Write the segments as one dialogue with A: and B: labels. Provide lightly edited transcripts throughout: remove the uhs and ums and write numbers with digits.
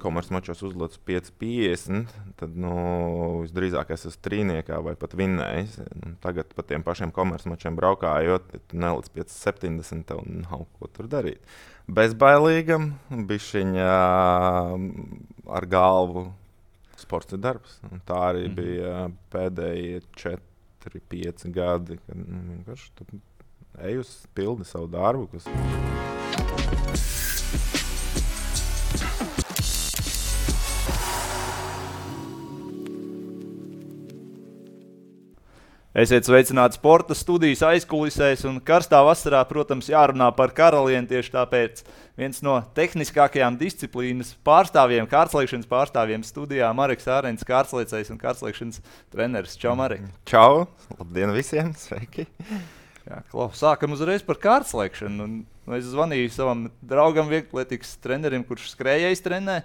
A: komercmačos uzlicis 5,50, tad visdrīzāk es esmu trīniekā vai pat vinnējis. Tagad pa tiem pašiem komercmačiem braukājot, tu nelic 5,70, tev nav ko tur darīt. Bezbailīgam, bišķiņā ar galvu sports ir darbs. Un tā arī bija pēdējie 4-5 gadi, kad vienkārši tu ej uz pildi savu darbu, kas...
B: Esiet sveicināti sporta studijas aizkulisēs, un karstā vasarā, protams, jārunā par karalieni. Tieši tāpēc viens no tehniskākajām disciplīnas pārstāvjiem, kārtslēkšanas pārstāvjiem studijā Mareks Ārens, kārtslēcējs un kārtslēkšanas treneris. Čau, Marek!
A: Čau! Labdien visiem! Sveiki!
B: Jā, sākam uzreiz par kārtslēkšanu. Es zvanīju savam draugam, vieglatlētikas trenerim, kurš skrējējs trenē.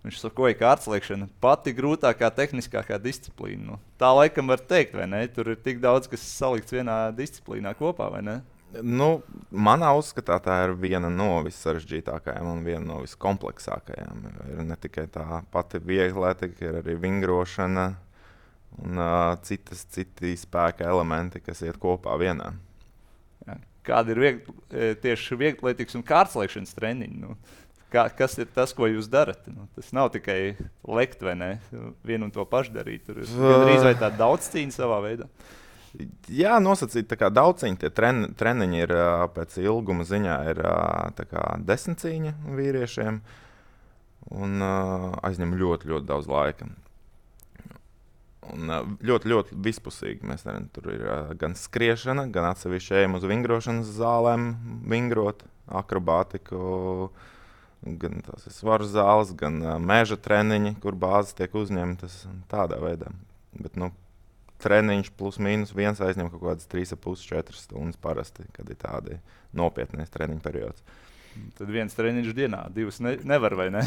B: Viņš sakoja, ka kārtslēkšana pati grūtākā, tehniskākā disciplīna. Tā laikam var teikt, vai ne? Tur ir tik daudz, kas salikts vienā disciplīnā kopā, vai ne?
A: Manā uzskatā tā ir viena no vissarežģītākajām un viena no viskompleksākajām. Ir ne tikai tā pati vieglatlētika, ir arī vingrošana un citi spēka elementi, kas iet kopā vienā.
B: Jā. Kādi ir tieši vieglatlētikas un kārtslēkšanas treniņi? Kas ir tas, ko jūs darat? Tas nav tikai lekt, vai ne? Vienu un to pašu darīt. Tur ir gandrīz vai tāda daudzcīņa savā veidā.
A: Jā, nosacīt, tā kā daudzcīņa, tie treniņi ir pēc ilguma ziņā ir tā kā 10 cīņa vīriešiem un aizņem ļoti, ļoti daudz laika. Un ļoti, ļoti vispusīgi mēs darām. Tur ir gan skriešana, gan atsevišķi ejam uz vingrošanas zālēm vingrot, akrobātiku, gan tās ir svaru zāles, gan meža treniņi, kur bāzes tiek uzņemtas tādā veidā. Bet, treniņš plus mīnus viens aizņem kaut kādas 3,5-4 stundas parasti, kad ir tādi nopietnēs treniņu periods.
B: Tad viens treniņš dienā, divas nevar, vai ne?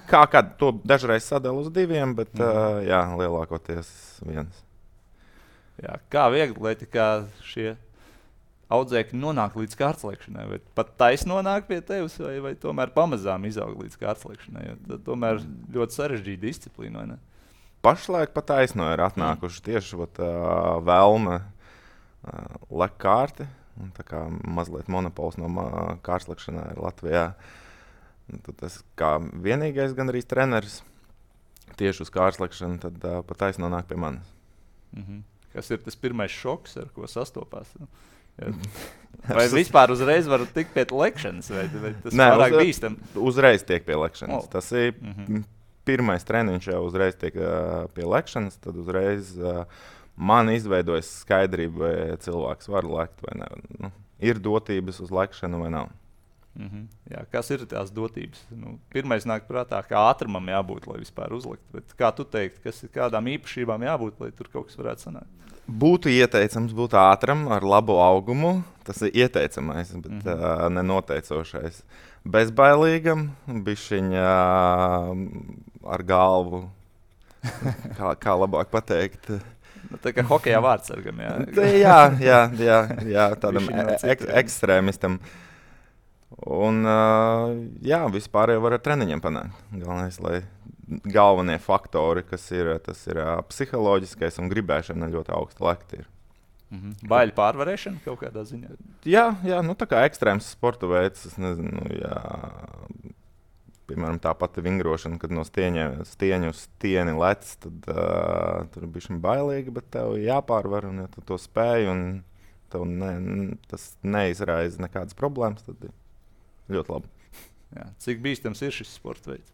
A: Kā to dažreiz sadala uz diviem, bet jā, lielākoties viens.
B: Jā, kā vieglatlētikā šie audzēkļi nonāk līdz kārtslēkšanai? Vai pat taisni nonāk pie tevis, vai tomēr pamazām izaug līdz kārtslēkšanai? Tad tomēr ļoti sarežģīta disciplīna, vai ne?
A: Pašlaik pat taisno ir atnākuši tieši vēlme lek kārti. Tā kā mazliet monopols no kārtslēkšanā ir Latvijā. Tad es kā vienīgais gan arī treneris tieši uz kārtslēkšanu, tad pat taisno nāk pie manis.
B: Kas ir tas pirmais šoks, ar ko sastopās? Vai vispār uzreiz var tikt pie lekšanas, vai tas pārāk bīstam?
A: Uzreiz tiek pie lekšanas. Tas ir pirmais treniņš jau uzreiz tiek pie lekšanas, tad uzreiz man izveidojas skaidrība, vai cilvēks var lekt vai ne. Ir dotības uz lekšanu vai nav.
B: Jā, kas ir tās dotības? Pirmais nāk prātā, kā ātrumam jābūt, lai vispār uzlikt. Bet kā tu teiktu, kādām īpašībām jābūt, lai tur kaut kas varētu sanākt?
A: Būtu ieteicams būt ātram, ar labu augumu. Tas ir ieteicamais, bet nenoteicošais. Bezbailīgam, bišķiņā ar galvu, kā labāk pateikt.
B: Tā kā hokejā vārdsargam, jā.
A: Jā, tādam ekstrēmistam. Un jā, vispār jau var ar treniņiem panākt. Galvenie faktori, kas ir, tas ir psiholoģiskais un gribēšana ļoti augsta lekta ir.
B: Baiļu pārvarēšana kaut kādā ziņā?
A: Jā, tā kā ekstrēms sporta veids, es nezinu, piemēram, tā pati vingrošana, kad no stieņa uz stieni lec, tad tur ir bišķiņ bailīgi, bet tev jāpārvar, un ja tu to spēj, un tev tas neizraisa nekādas problēmas, tad ir ļoti labi.
B: Jā. Cik bīstams ir šis sporta veids?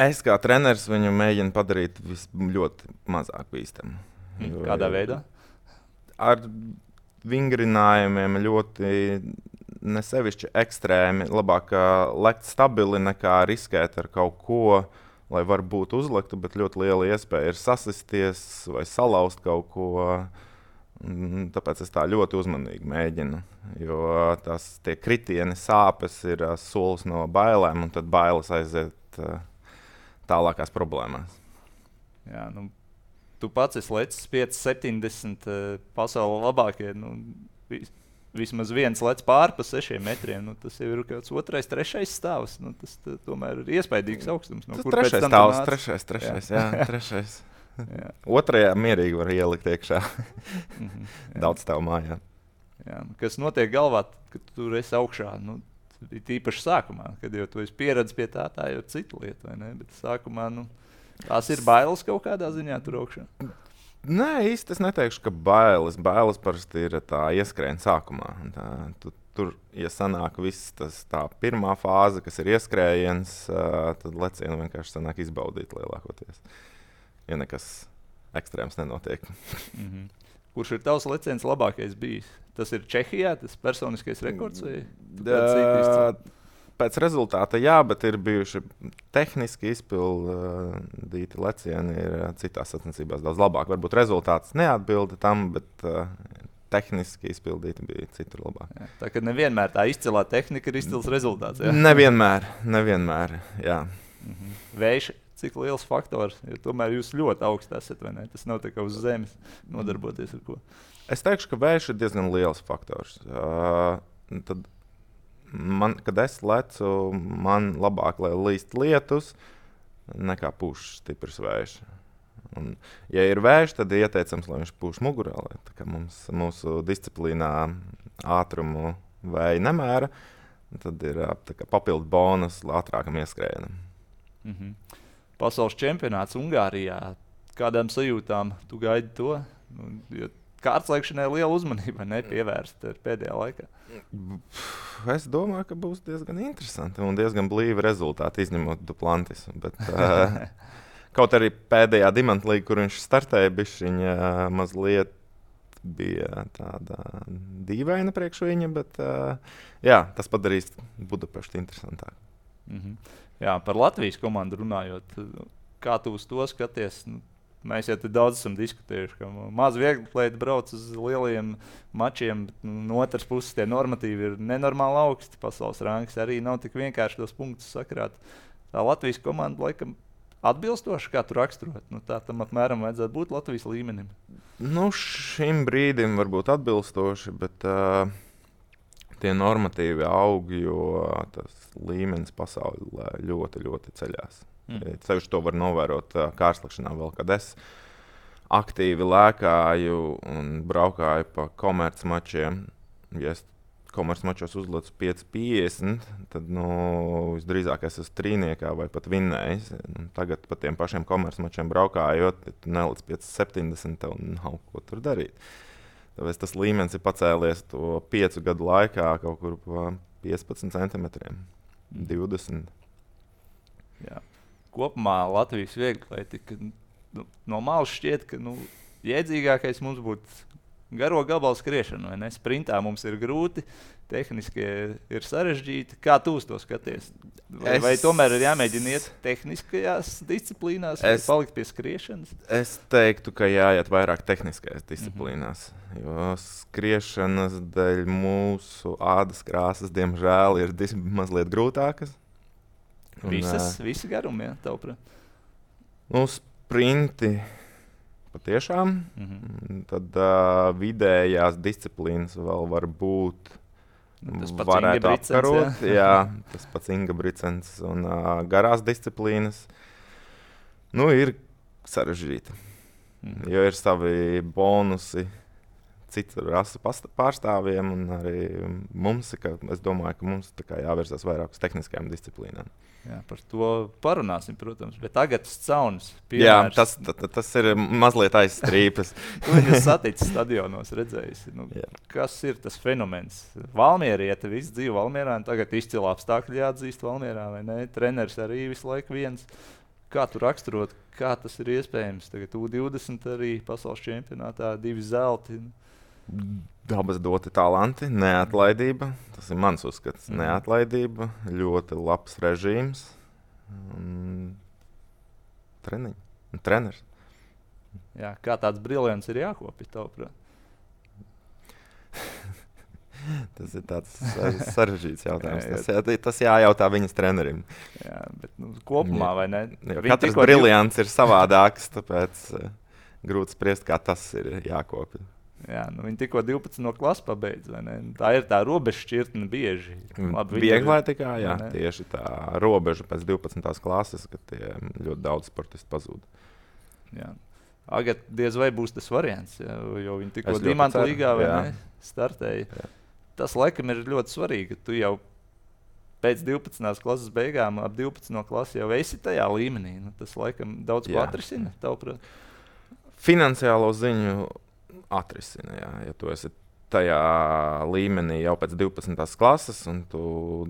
A: Es kā treneris viņu mēģinu padarīt ļoti mazāk bīstamu.
B: Kādā veidā?
A: Ar vingrinājumiem ļoti nesevišķi ekstrēmi. Labāk lekt stabili nekā riskēt ar kaut ko, lai varbūt uzliktu, bet ļoti liela iespēja ir sasisties vai salauzt kaut ko. Tāpēc es tā ļoti uzmanīgi mēģinu, jo tie kritieni sāpes ir solis no bailēm, un tad bailes aiziet tālākās problēmās.
B: Jā, tu pats esi lecis 5,70 pasaulē labākie. vismaz viens lec pāri pa 6 metriem. Nu, tas jau ir kāds 2., 3. stāvs. Nu, tas tomēr ir iespaidīgs augstums. No,
A: tas 3. stāvs, 3. jā, 3. Jā. 2. mierīgi var ielikt iekšā. Daudz stāv mājā.
B: Jā. Kas notiek galvā, kad tur esi augšā? Nu, tīpaši sākumā, kad jau tu esi pieredzis pie tā jau ir cita lieta, vai ne? Bet sākumā, tās ir bailes kaut kādā ziņā tur augšā.
A: Nē, īsti es neteikšu, ka bailes. Bailes parasti ir tā ieskrējiena sākumā. Tur, ja sanāk viss tā pirmā fāze, kas ir ieskrējiens, tad lecienu vienkārši sanāk izbaudīt lielākoties. Ja nekas ekstrēms nenotiek.
B: Kurš ir tavs leciens labākais bijis? Tas ir Čehijā, tas personiskais rekords?
A: Pēc rezultāta jā, bet ir bijuši tehniski izpildīti lecieni, ir citās sacensībās daudz labāk. Varbūt rezultāts neatbilda tam, bet tehniski izpildīti bija citur labāk.
B: Jā, tā kā nevienmēr tā izcilā tehnika ir izcils rezultāts. Jā?
A: Nevienmēr, jā.
B: Vējš, cik liels faktors, jo tomēr jūs ļoti augsti esat, vai ne? Tas nav tā kā uz zemes nodarboties ar ko.
A: Es teikšu, ka vējš ir diezgan liels faktors. Tad kad es lecu, man labāk, lai līst lietus, nekā pūš stiprs vējš. Un, ja ir vējš, tad ieteicams, lai viņš pūš mugurā. Tā kā mūsu disciplīnā ātrumu vēja nemēra, tad ir papildu bonus ātrākam ieskrējienam.
B: Pasaules čempionāts Ungārijā. Kādām sajūtām tu gaidi to? Jo kārtslēkšanai liela uzmanība nepievērsta pēdējā laikā.
A: Es domāju, ka būs diezgan interesanti un diezgan blīvi rezultāti, izņemot Duplantis. Bet, kaut arī pēdējā Dimantlīga, kur viņš startēja, bišķiņa mazliet bija tāda dīvaina priekš viņa, bet jā, tas padarīs Budapeštu interesantāk.
B: Jā, par Latvijas komandu runājot, kā tu uz to skaties? Mēs jau daudz esam diskutējuši, ka maz vieglatlēti brauc uz lieliem mačiem, bet no otras puses tie normatīvi ir nenormāli augsti. Pasaules rangs arī nav tik vienkārši tos punktus sakrāt. Tā Latvijas komanda laikam atbilstoši, kā tu raksturot? Tā tam apmēram vajadzētu būt Latvijas līmenim.
A: Šim brīdim varbūt atbilstoši, bet tie normatīvi aug, jo tas līmenis pasaulē ļoti, ļoti ceļās. Ceļš to var novērot kārslekšanā vēl, kad es aktīvi lēkāju un braukāju pa komercmačiem. Ja es komercmačos uzlecu 5,50, tad visdrīzāk es esmu trīniekā vai pat vinnējis. Tagad pa tiem pašiem komercmačiem braukājot, tu nelec 5,70, tev nav ko tur darīt. Tāpēc tas līmenis ir pacēlies to 5 gadu laikā kaut kur pa 15 centimetriem, 20.
B: Jā. Kopumā Latvijas vieglatlētika no malas šķiet, ka jēdzīgākais mums būtu garo gabalu skriešana, vai ne? Sprintā mums ir grūti, tehniski ir sarežģīti. Kā tu uz to skaties? Vai tomēr ir jāmēģina iet tehniskajās disciplīnās, vai palikt pie skriešanas?
A: Es teiktu, ka jāiet vairāk tehniskajās disciplīnās, jo skriešanas dēļ mūsu ādas krāsas, diemžēl, ir mazliet grūtākas.
B: Visi garumi, jā, tavuprāt?
A: Sprinti patiešām. Tad vidējās disciplīnas vēl var būt.
B: Tas pats
A: varētu
B: Inga Bricens,
A: apkarot. Jā, tas pats Inga Bricens un garās disciplīnas. Ir sarežģīti, jo ir savi bonusi citu rasu pārstāvjiem, un arī mums, es domāju, ka mums jāvirzās vairāk uz tehniskajām disciplīnām.
B: Jā, par to parunāsim, protams. Bet tagad Caunis.
A: Jā, tas ir mazliet aizstrīpas.
B: Tu viņu satici stadionos, redzējusi. Kas ir tas fenomens? Valmieriete, viss dzīvo Valmierā, un tagad izcila apstākļi jāatzīst Valmierā, vai ne? Treneris arī visu laiku viens. Kā tu raksturot, kā tas ir iespējams? Tagad U20 arī pasaules čempionātā 2 zelti.
A: Dabas doti talanti, neatlaidība. Tas ir mans uzskats. Neatlaidība, ļoti labs režīms un treneris.
B: Jā, kā tāds briljants ir jākopja, tavuprāt?
A: Tas ir tāds sarežģīts jautājums. Tas jājautā viņas trenerim.
B: Jā, bet kopumā, vai ne?
A: Katrs briljants ir savādāks, tāpēc grūti spriest, kā tas ir jākopja.
B: Jā, viņi tikko 12 klasi pabeidz. Tā ir tā robeža šķirtne bieži.
A: Vieglai tikai, jā, tieši tā robeža pēc 12. klases, kad tie ļoti daudz sportisti pazūd.
B: Jā. Agad diez vai būs tas variants, jo viņi tikko Dimanta līgā startēja. Jā. Tas laikam ir ļoti svarīgi, ka tu jau pēc 12. klases beigām, ap 12. klasi jau esi tajā līmenī. Tas laikam daudz ko atrisina, tavuprāt.
A: Finansiālo ziņu atrisina, jā. Ja tu esi tajā līmenī jau pēc 12. klases, un tu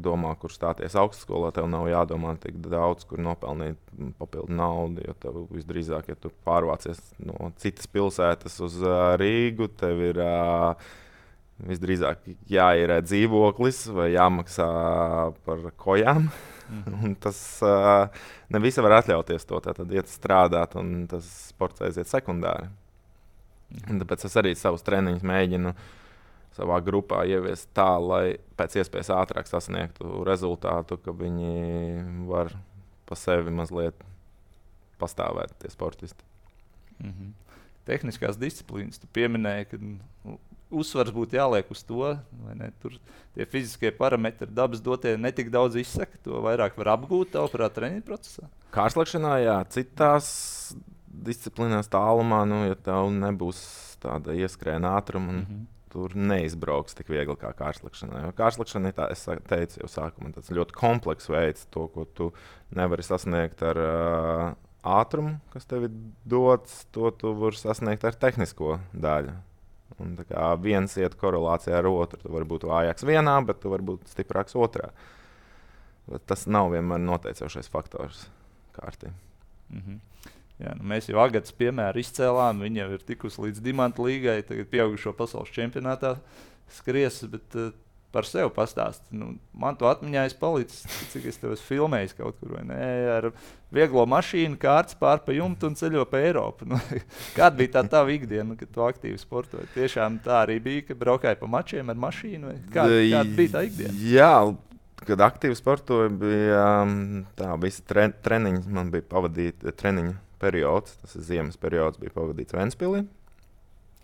A: domā, kur stāties augstskolā, tev nav jādomā tik daudz, kur nopelnīt papildu naudu, jo tev visdrīzāk, ja tu pārvācies no citas pilsētas uz Rīgu, tev ir visdrīzāk jāierē dzīvoklis vai jāmaksā par kojām. Un tas ne visi var atļauties to, tad iet strādāt, un tas sports aiziet sekundāri. Un tāpēc es arī savus treniņus mēģinu savā grupā ieviest tā, lai pēc iespējas ātrāk sasniegtu rezultātu, ka viņi var pa sevi mazliet pastāvēt, tie sportisti.
B: Tehniskās disciplīnas. Tu pieminēji, ka uzsvars būtu jāliek uz to, vai ne? Tur tie fiziskie parametri, dabas dotie netik daudz izsaka, to vairāk var apgūt tavuprāt treniņu procesā?
A: Kārsliekšanā, jā, citās disciplīnās tālumā, ja tev nebūs tāda ieskrēna ātruma, tur neizbrauks tik viegli kā kārsliekšanā. Jo kārsliekšana ir tā, es teicu jau sākumā, tāds ļoti komplekss veids, to, ko tu nevari sasniegt ar ātrumu, kas tev ir dots, to tu vari sasniegt ar tehnisko daļu. Un tā kā viens iet korelācijā ar otru, tu vari būt vājāks vienā, bet tu vari būt stiprāks otrā. Bet tas nav vienmēr noteicošais faktors kārtī.
B: Jā, mēs jau Agatas piemēru izcēlām, viņa jau ir tikusi līdz Dimanta līgai, tagad pieaugušo pasaules čempionātā skries, bet par sevi pastāst. Man to atmiņā es palicis, cik es tev esmu filmējis kaut kur, vai ne, ar vieglo mašīnu, kārts pār pa jumtu un ceļo pa Eiropu. Kāda bija tā tava ikdiena, kad tu aktīvi sportoji? Tiešām tā arī bija, ka braukāji pa mačiem ar mašīnu? Vai? Kāda bija tā ikdiena?
A: Jā, kad aktīvi sportoju, bija tā, visi treniņi, man bija pavadīti treniņu periods, tas ir ziemas periods, bija pavadīts Ventspilī.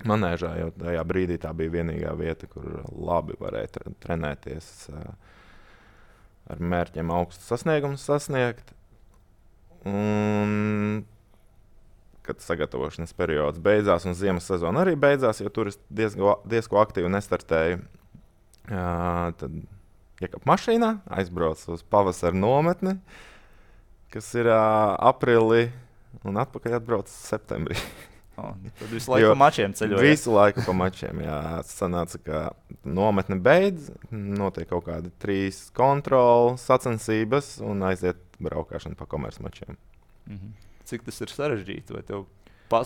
A: Manēžā jau tajā brīdī tā bija vienīgā vieta, kur labi varēja trenēties ar mērķiem augstu sasniegumus sasniegt. Un, kad sagatavošanas periods beidzās un ziemas sezona arī beidzās, jo tur es diezko aktīvi nestartēju, tad iekāpu mašīnā, aizbraucu uz pavasara nometni, kas ir aprīlī, un atpakaļ atbraucu septembrī.
B: Tad visu laiku pa mačiem ceļoja?
A: Visu laiku pa mačiem, jā. Sanāca, ka nometne beidz, notiek kaut kādi 3 kontroli, sacensības un aiziet braukāšana pa komercmačiem.
B: Cik tas ir sarežģīti? Vai tev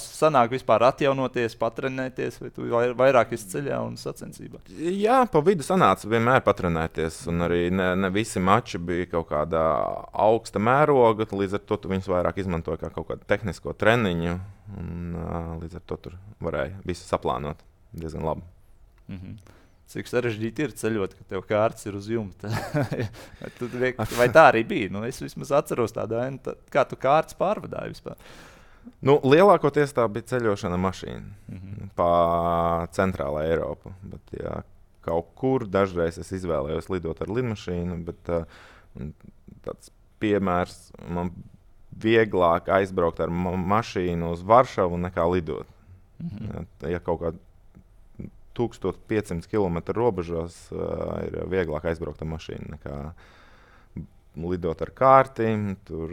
B: sanāk vispār atjaunoties, patrenēties, vai tu vairāk esi ceļā un sacensībā?
A: Jā, pa vidu sanāca vienmēr patrenēties, un arī ne visi mači bija kaut kādā augsta mēroga, līdz ar to tu viņus vairāk izmantoji kā kaut kādu tehnisko treniņu, un līdz ar to tur varēja visu saplānot diezgan labi.
B: Cik sarežģīti ir ceļot, ka tev kārts ir uz jumta? Vai tā arī bija? Es vismaz atceros tādu ainu, kā tu kārts pārvadāji vispār.
A: Lielākoties tā bija ceļošana mašīna pa centrālā Eiropu. Bet, jā, kaut kur dažreiz es izvēlējos lidot ar lidmašīnu, bet tāds piemērs, man vieglāk aizbraukt ar mašīnu uz Varšavu nekā lidot. Ja kaut kā 1500 km robežos ir vieglāk aizbraukt ar mašīnu nekā lidot ar kārtīm. Tur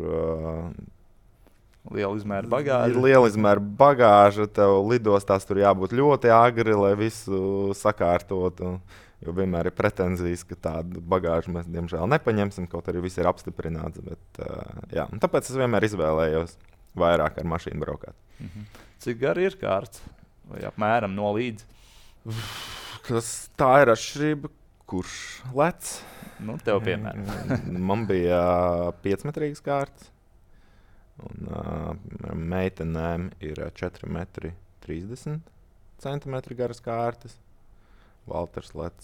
B: liela izmēra bagāža.
A: Ir liela izmēra bagāža, tev lidostās tur jābūt ļoti agri, lai visu sakārtotu. Jo vienmēr ir pretenzijas, ka tādu bagāžu mēs diemžēl nepaņemsim, kaut arī viss ir apstiprināts. Bet, jā, tāpēc es vienmēr izvēlējos vairāk ar mašīnu braukāt.
B: Cik gari ir kārts? Vai apmēram no līdz?
A: Tā ir atšķirība, kurš lec.
B: Tev piemēram.
A: Man bija 5-metrīgas kārtas. Un meitenēm ir 4,30 m garas kārtas. Valters lec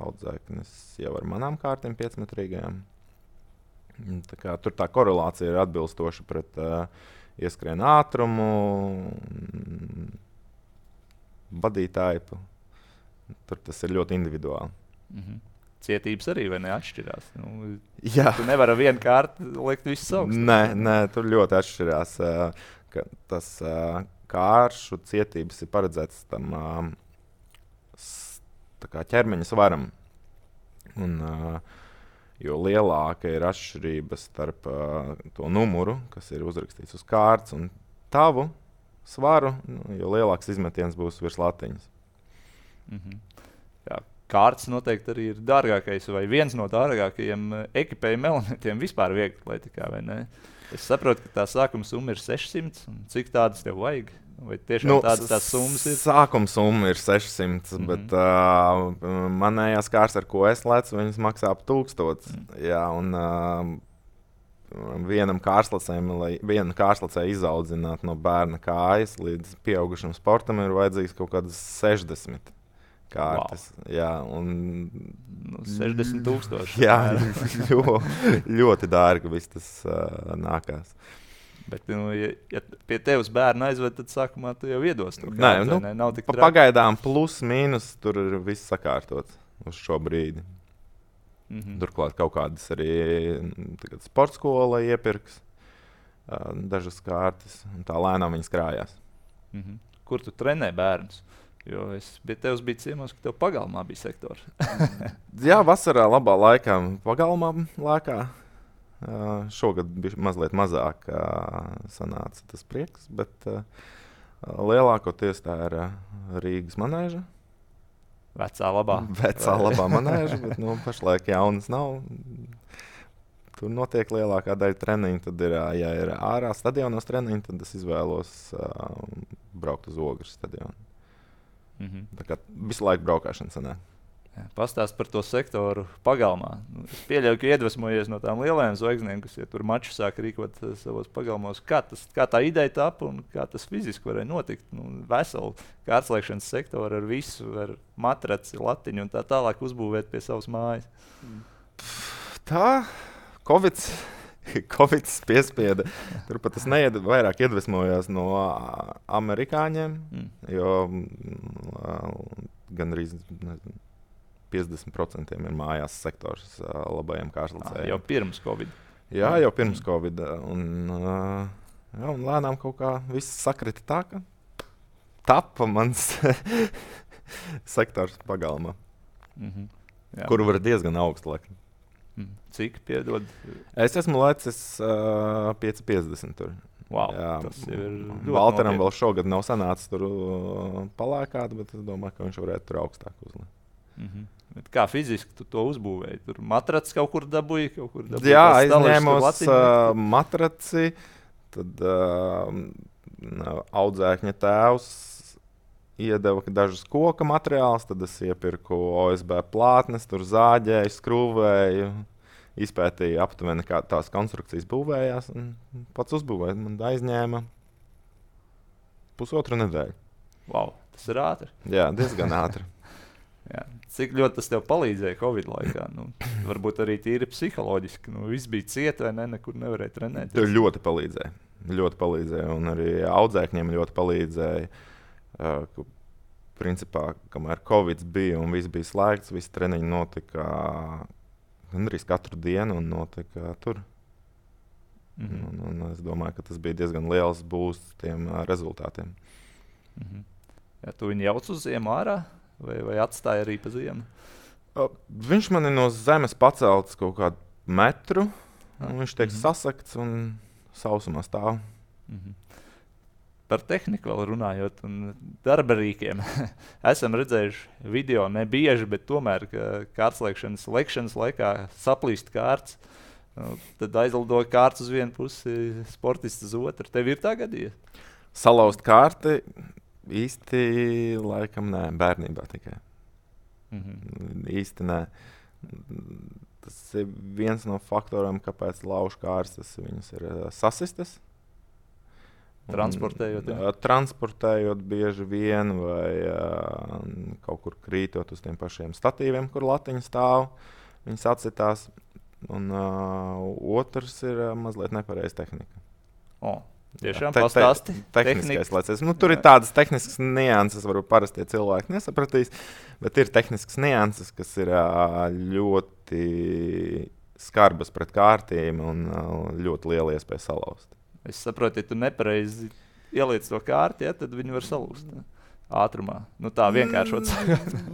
A: audzēknis jau ar manām kārtiem 5-metrīgajām. Tur tā korelācija ir atbilstoša pret ieskrienu ātrumu. vadītāji. Tur tas ir ļoti individuāli.
B: Cietības arī vai neatšķirās?
A: Jā.
B: Tu nevari vienu kārtu likt visus augstus.
A: Nē, tur ļoti atšķirās. Tas kāršu cietības ir paredzēts tam ķermeņa svaram. Un, jo lielāka ir atšķirība starp to numuru, kas ir uzrakstīts uz kārtas, un tavu svaru, jo lielāks izmetiens būs virs latiņas.
B: Jā, kārtas noteikti arī ir dārgākais vai viens no dārgākajiem ekipējuma elementiem vispār viegli atletikā, vai ne? Es saprotu, ka tā sākuma summa ir 600, un cik tādas tev vajag? Vai tiešām tādas tās summas ir?
A: Sākuma summa ir 600, bet manējās kārtas, ar ko es lecu, viņas maksā ap 1000. Jā, un vienam kārslacēm izaudzināt no bērna kājas līdz pieaugušam sportam ir vajadzīgs kaut kādas 60 kārtas. Wow. Jā, un
B: 60,000.
A: Jā, ļoti dārgi viss tas nākās.
B: Bet, ja pie tevis bērna aizved, tad sākumā tu jau iedos to
A: kārtu.
B: Nav tik traki.
A: Pagaidām plus, mīnus, tur ir viss sakārtots uz šo brīdi. Turklāt kaut kādas arī sporta skola iepirks dažas kārtas, un tā lēnām viņas krājās.
B: Kur tu trenē bērnus? Jo es pie tevis biju ciemos, ka tev pagalmā bija sektors.
A: Jā, vasarā labā laikā pagalmā lēkā. Šogad bija mazliet mazāk sanāca tas prieks, bet lielākoties tā ir Rīgas manēža.
B: Vecā labā
A: manēža, bet pašlaik jaunas nav. Tur notiek lielākā daļa treniņu. Tad, ja ir ārā stadionos treniņi, tad es izvēlos braukt uz Ogres stadionu. Tā kā visu laiku braukšana sanāk.
B: Pastāst par to sektoru pagalmā. Es pieļauju, ka iedvesmojies no tām lielajām zvaigznēm, kas tur maču sāk rīkot savos pagalmos. Kā tā ideja tapa un kā tas fiziski varēja notikt? Veselu kārtslēkšanas sektoru ar visu, ar matraci, latiņu un tā tālāk uzbūvēt pie savas mājas.
A: Tā, Covid piespieda. Turpat es vairāk iedvesmojos no amerikāņiem, jo gandrīz 50% ir mājās sektors labajiem kārtslacējiem.
B: Jau pirms Covid.
A: Jā, jau pirms Covid. Un lēnām kaut kā viss sakrita tā, ka tapa mans sektors pagalmā, kuru var diezgan augstu lekt.
B: Cik, piedod?
A: Es esmu lecis 5,50 tur.
B: Wow, jā, tas ir ļoti
A: Valteram vēl šogad nav sanācis tur palēkāt, bet es domāju, ka viņš varētu tur augstāk uzlikt.
B: Kā fiziski tu to uzbūvēji? Tur matracis kaut kur dabūji?
A: Jā, aizņēmos matraci, tad audzēkņa tēvs iedeva dažus koka materiālus, tad es iepirku OSB plātnes, tur zāģēju, skrūvēju, izpētīju aptuveni, kā tās konstrukcijas būvējās, un pats uzbūvēju. Man aizņēma 1,5 nedēļu.
B: Wow, tas ir ātri.
A: Jā, diezgan ātri.
B: Jā. Cik ļoti tas tev palīdzēja Covid laikā? Varbūt arī tīri psiholoģiski. Viss bija cieta vai ne, nekur nevarēja trenēt.
A: Tas ļoti palīdzēja. Ļoti palīdzēja, un arī audzēkņiem ļoti palīdzēja. Principā, kamēr Covid bija un viss bija slēgts, visi treniņi notika gandrīz katru dienu un notika tur. Un es domāju, ka tas bija diezgan liels boosts tiem rezultātiem.
B: Ja tu viņu jauc uz ziemu ārā? Vai atstāja arī pa ziemu?
A: Viņš man ir no zemes pacelts kaut kādu metru, un viņš tiek sasakts un sausumā stāv.
B: Par tehniku vēl runājot un darba rīkiem. Esam redzējuši video, ne bieži, bet tomēr, ka kārtslēkšanas laikā saplīst kārts, tad aizlidoja kārts uz vienu pusi, sportists uz otru. Tev ir tā gadījies?
A: Salauzt kārti? Īsti laikam nē, bērnībā tikai. Īsti nē. Tas ir viens no faktoriem, kāpēc laužu kārtas viņas ir sasistas.
B: Transportējot?
A: Transportējot bieži vien vai kaut kur krītot uz tiem pašiem statīviem, kur latiņa stāv. Viņas atsitās. Un otrs ir mazliet nepareiza tehnika.
B: Tiešām pastāsti.
A: Tehniskais lēciens. Nu, tur ir tādas tehniskas nianses, varbūt parastie cilvēki nesapratīs, bet ir tehniskas nianses, kas ir ļoti skarbas pret kārtīm un ļoti liela iespēja salauzt.
B: Es saprotu, ja tu nepareizi ieliec to kārti, tad viņi var salūst ātrumā. Nu tā vienkāršot.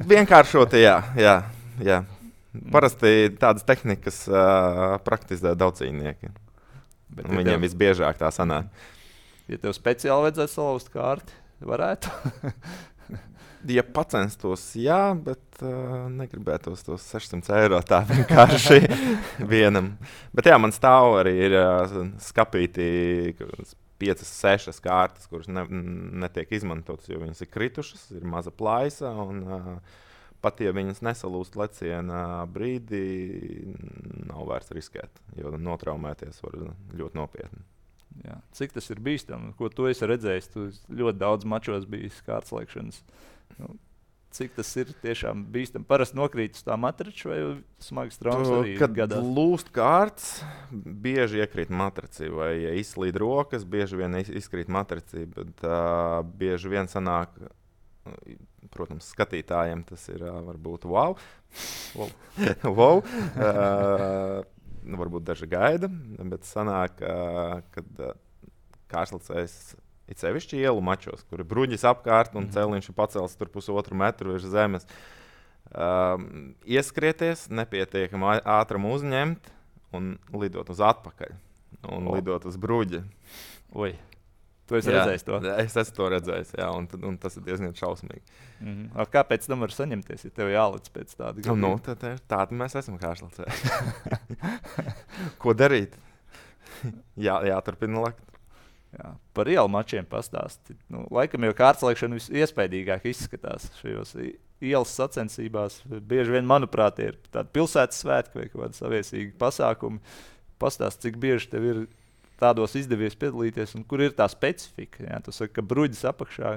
A: Vienkāršot, jā. Parasti tādas tehnikas praktizē daudz cīnieki. Viņiem visbiežāk tā sanāk.
B: Ja tev speciāli vajadzētu salauzt kārti, varētu?
A: Ja pacenstos, jā, bet negribētos tos 600 eiro tā vienkārši vienam. Bet jā, man stāv arī ir skapīti 5-6 kārtas, kuras netiek izmantotas, jo viņas ir kritušas, ir maza plaisa, un pat ja viņas nesalūst leciena brīdī, nav vērts riskēt, jo notraumēties var ļoti nopietni.
B: Jā. Cik tas ir bīstami? Ko tu esi redzējis? Tu ļoti daudz mačos bijis kārtslēkšanas. Cik tas ir tiešām bīstami? Parasti nokrīt uz tā matrača vai smagas traumas arī
A: Kad
B: gadās?
A: lūst kārtas, bieži iekrīt matracī, vai ja izslīd rokas, bieži vien izkrīt matracī, bet bieži vien sanāk, protams, skatītājiem tas ir varbūt wow. Varbūt daži gaida, bet sanāk, kad kārtslēcējs it sevišķi ielu mačos, kur ir bruģis apkārt un celiņš ir pacels tur 1,5 metru virs zemes. Ieskrieties, nepietiekami ātram uzņemt un lidot uz atpakaļ un lidot uz bruģi.
B: Oi. Tu esi redzējis to?
A: Es esmu to redzējis, jā, un tas ir diezgan šausmīgi.
B: Kāpēc tam var saņemties, ja tev jālic pēc tāda gadījuma?
A: Nu, tāda mēs esam kārtslēcēji. Ko darīt? Jāturpina lekt.
B: Jā. Par ielu mačiem pastāsti. Laikam jau kārtslēkšana visiespējīgāk izskatās šajos ielas sacensībās. Bieži vien, manuprāt, ir tādi pilsētas svētki vai kādi saviesīgi pasākumi. Pastāsti, cik bieži tev ir tādos izdevies piedalīties un kur ir tā specifika. Jā, tu saki, ka bruģis apakšā,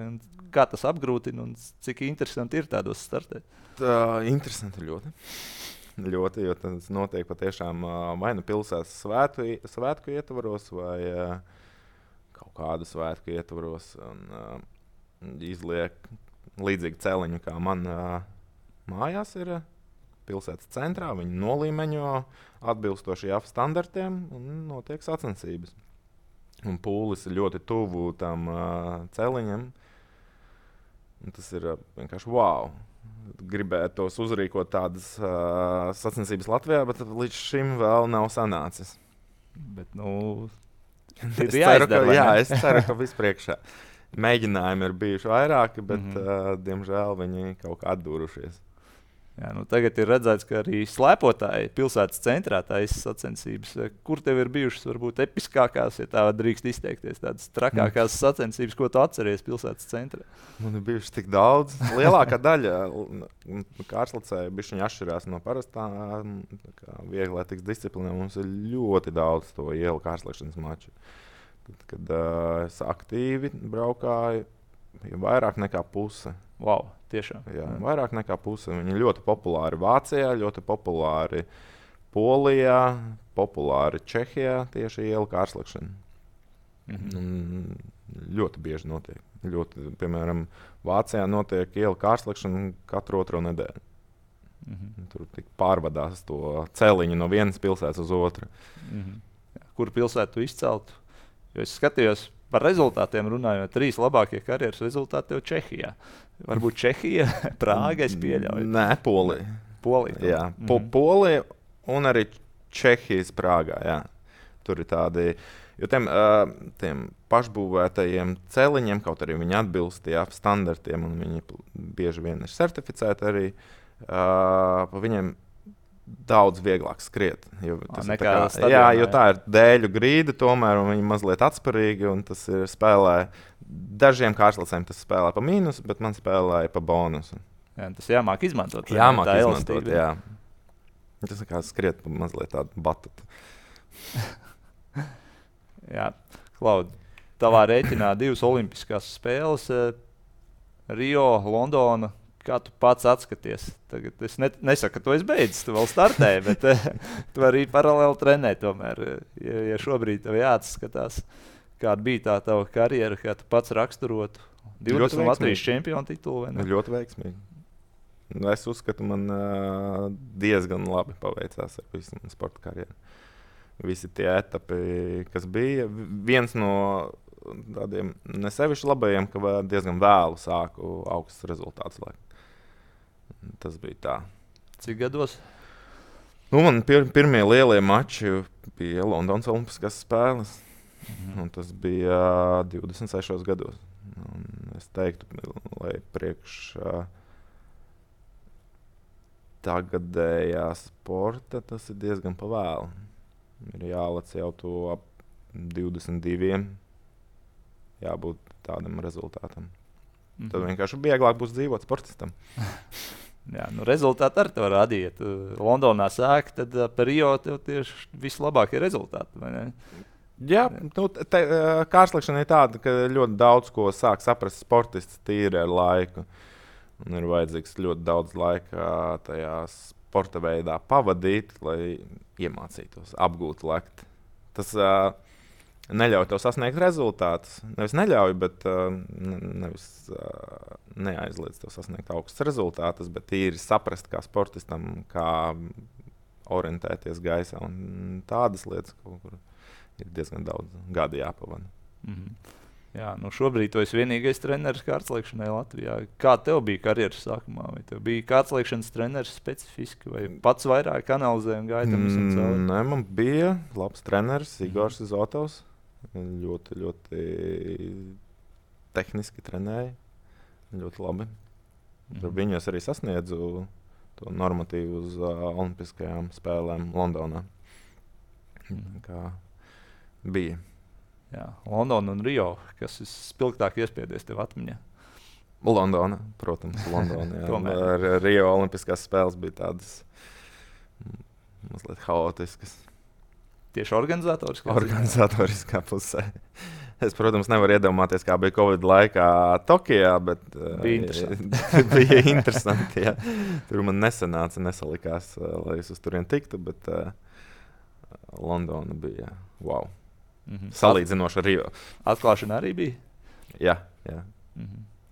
B: kā tas apgrūtina un cik interesanti ir tādos startēt?
A: Interesanti ļoti. Ļoti, jo tas notiek patiešām vai nu pilsētas svētku ietvaros vai kaut kādu svētku ietvaros un izliek līdzīgi celiņu, kā man mājās ir pilsētas centrā. Viņi nolīmeņo atbilstoši JAF standartiem un notiek sacensības. Un pūlis ir ļoti tuvu tam celiņam. Un tas ir vienkārši wow. Gribētos uzrīkot tādas sacensības Latvijā, bet līdz šim vēl nav sanācis.
B: Bet,
A: es ceru, ka vispriekšā. Mēģinājumi ir bijuši vairāki, bet diemžēl viņi kaut kā atdūrušies.
B: Jā, tagad ir redzēts, ka arī slēpotāji pilsētas centrā taisa sacensības. Kur tev ir bijušas varbūt episkākās, ja tā drīkst izteikties, tādas trakākās sacensības, ko tu atceries pilsētas centrā?
A: Man ir bijuši tik daudz. Lielākā daļa kārtslēcēju bišķiņi atšķirās no parastā vieglētīgas disciplīnām. Mums ir ļoti daudz to ielu kārtslēkšanas maču. Kad es aktīvi braukāju, vairāk nekā puse.
B: Wow, tiešām.
A: Jā, vairāk nekā puse. Viņi ir ļoti populāri Vācijā, ļoti populāri Polijā, populāri Čehijā tieši ielu kārtslēkšana. Ļoti bieži notiek. Piemēram, Vācijā notiek ielu kārtslēkšana katru otro nedēļu. Tur tik pārvadās to celiņu no vienas pilsētas uz otru.
B: Kur pilsētu tu izceltu? Jo es skatījos par rezultātiem runājot, 3 labākie karjeras rezultāti tev Čehijā. Varbūt Čehija, Prāga, es pieļauju.
A: Nē, Polija.
B: Polija.
A: Jā, Polija un arī Čehijas Prāgā, jā. Tur ir tādi, jo tiem pašbūvētajiem celiņiem, kaut arī viņi atbilst standartiem un viņi bieži vien ir certificēti arī, pa viņiem daudz vieglāk skriet. Jo tā ir dēļu grīda, tomēr viņi mazliet atspērīgi, un tas ir spēlē. Dažiem kārtslēcējiem tas spēlē pa mīnusu, bet man spēlēja pa bonusu.
B: Jā, tas jāmāk izmantot.
A: Jāmāk izmantot, jā. Tas kā skriet mazliet tādu batutu.
B: Jā, Klaud, tavā rēķinā 2 olimpiskās spēles, Rio, Londona. Kā tu pats atskaties? Tagad es nesaku, ka tu esi beidzis, tu vēl startē, bet tu arī paralēli trenē tomēr. Ja šobrīd tev jāatskatās, kāda bija tā tava karjera, kā tu pats raksturotu? 20 Latvijas čempionu titulu, vai ne?
A: Ļoti veiksmīgi. Es uzskatu, man diezgan labi paveicās ar visu manu sporta karjeru. Visi tie etapi, kas bija. Viens no tādiem nesevišķi labajiem, ka diezgan vēlu sāku augstus rezultātus. Tas bija tā.
B: Cik gados?
A: Man pirmie lielie mači bija Londonas Olimpiskās spēles. Un tas bija 26 gados. Un es teiktu, lai priekš tagadējā sporta tas ir diezgan pavēlu. Ir jālec jau to ap 22. Jābūt tādam rezultātam. Tad vienkārši vieglāk būs dzīvot sportistam.
B: Jā, rezultāti arī tev rādīja. Londonā sāk, tad par Rio tev tieši vislabākie rezultāti, vai ne?
A: Jā, kārsliekšana ir tāda, ka ļoti daudz ko sāk saprast sportists tīri ar laiku. Un ir vajadzīgs ļoti daudz laika tajā sporta veidā pavadīt, lai iemācītos, apgūtu lekt. Tas neļauj tev sasniegt rezultātus. Nevis neļauj, bet neaizliedz tev sasniegt augstus rezultātus, bet tīri saprast kā sportistam, kā orientēties gaisā un tādas lietas, kur ir diezgan daudz gadu jāpavada.
B: Jā, šobrīd tu esi vienīgais treneris kārtslēkšanai Latvijā. Kā tev bija karjeras sākumā? Vai tev bija kārtslēkšanas treneris specifiski, vai pats vairāk analizēja un gāja tam visam cauri?
A: Nē, man bija labs treneris, Igors Zotovs. Ļoti, ļoti tehniski trenēja. Ļoti labi. Ar viņu es arī sasniedzu to normatīvu uz Olimpiskajām spēlēm Londonā. Kā bija.
B: Jā, Londona un Rio, kas ir spilgtāk iespiedies tev atmiņā?
A: Londona, protams, Londona. Ar Rio Olimpiskās spēles bija tādas mazliet haotiskas.
B: Tieši
A: organizatoriskā pusē. Es, protams, nevaru iedomāties, kā bija Covid laikā Tokijā, bet bija interesanti. Jā. Tur man nesalikās, lai es uz turien tiktu, bet Londona bija wow. Salīdzinoši ar Rio.
B: Atklāšana arī bija?
A: Jā.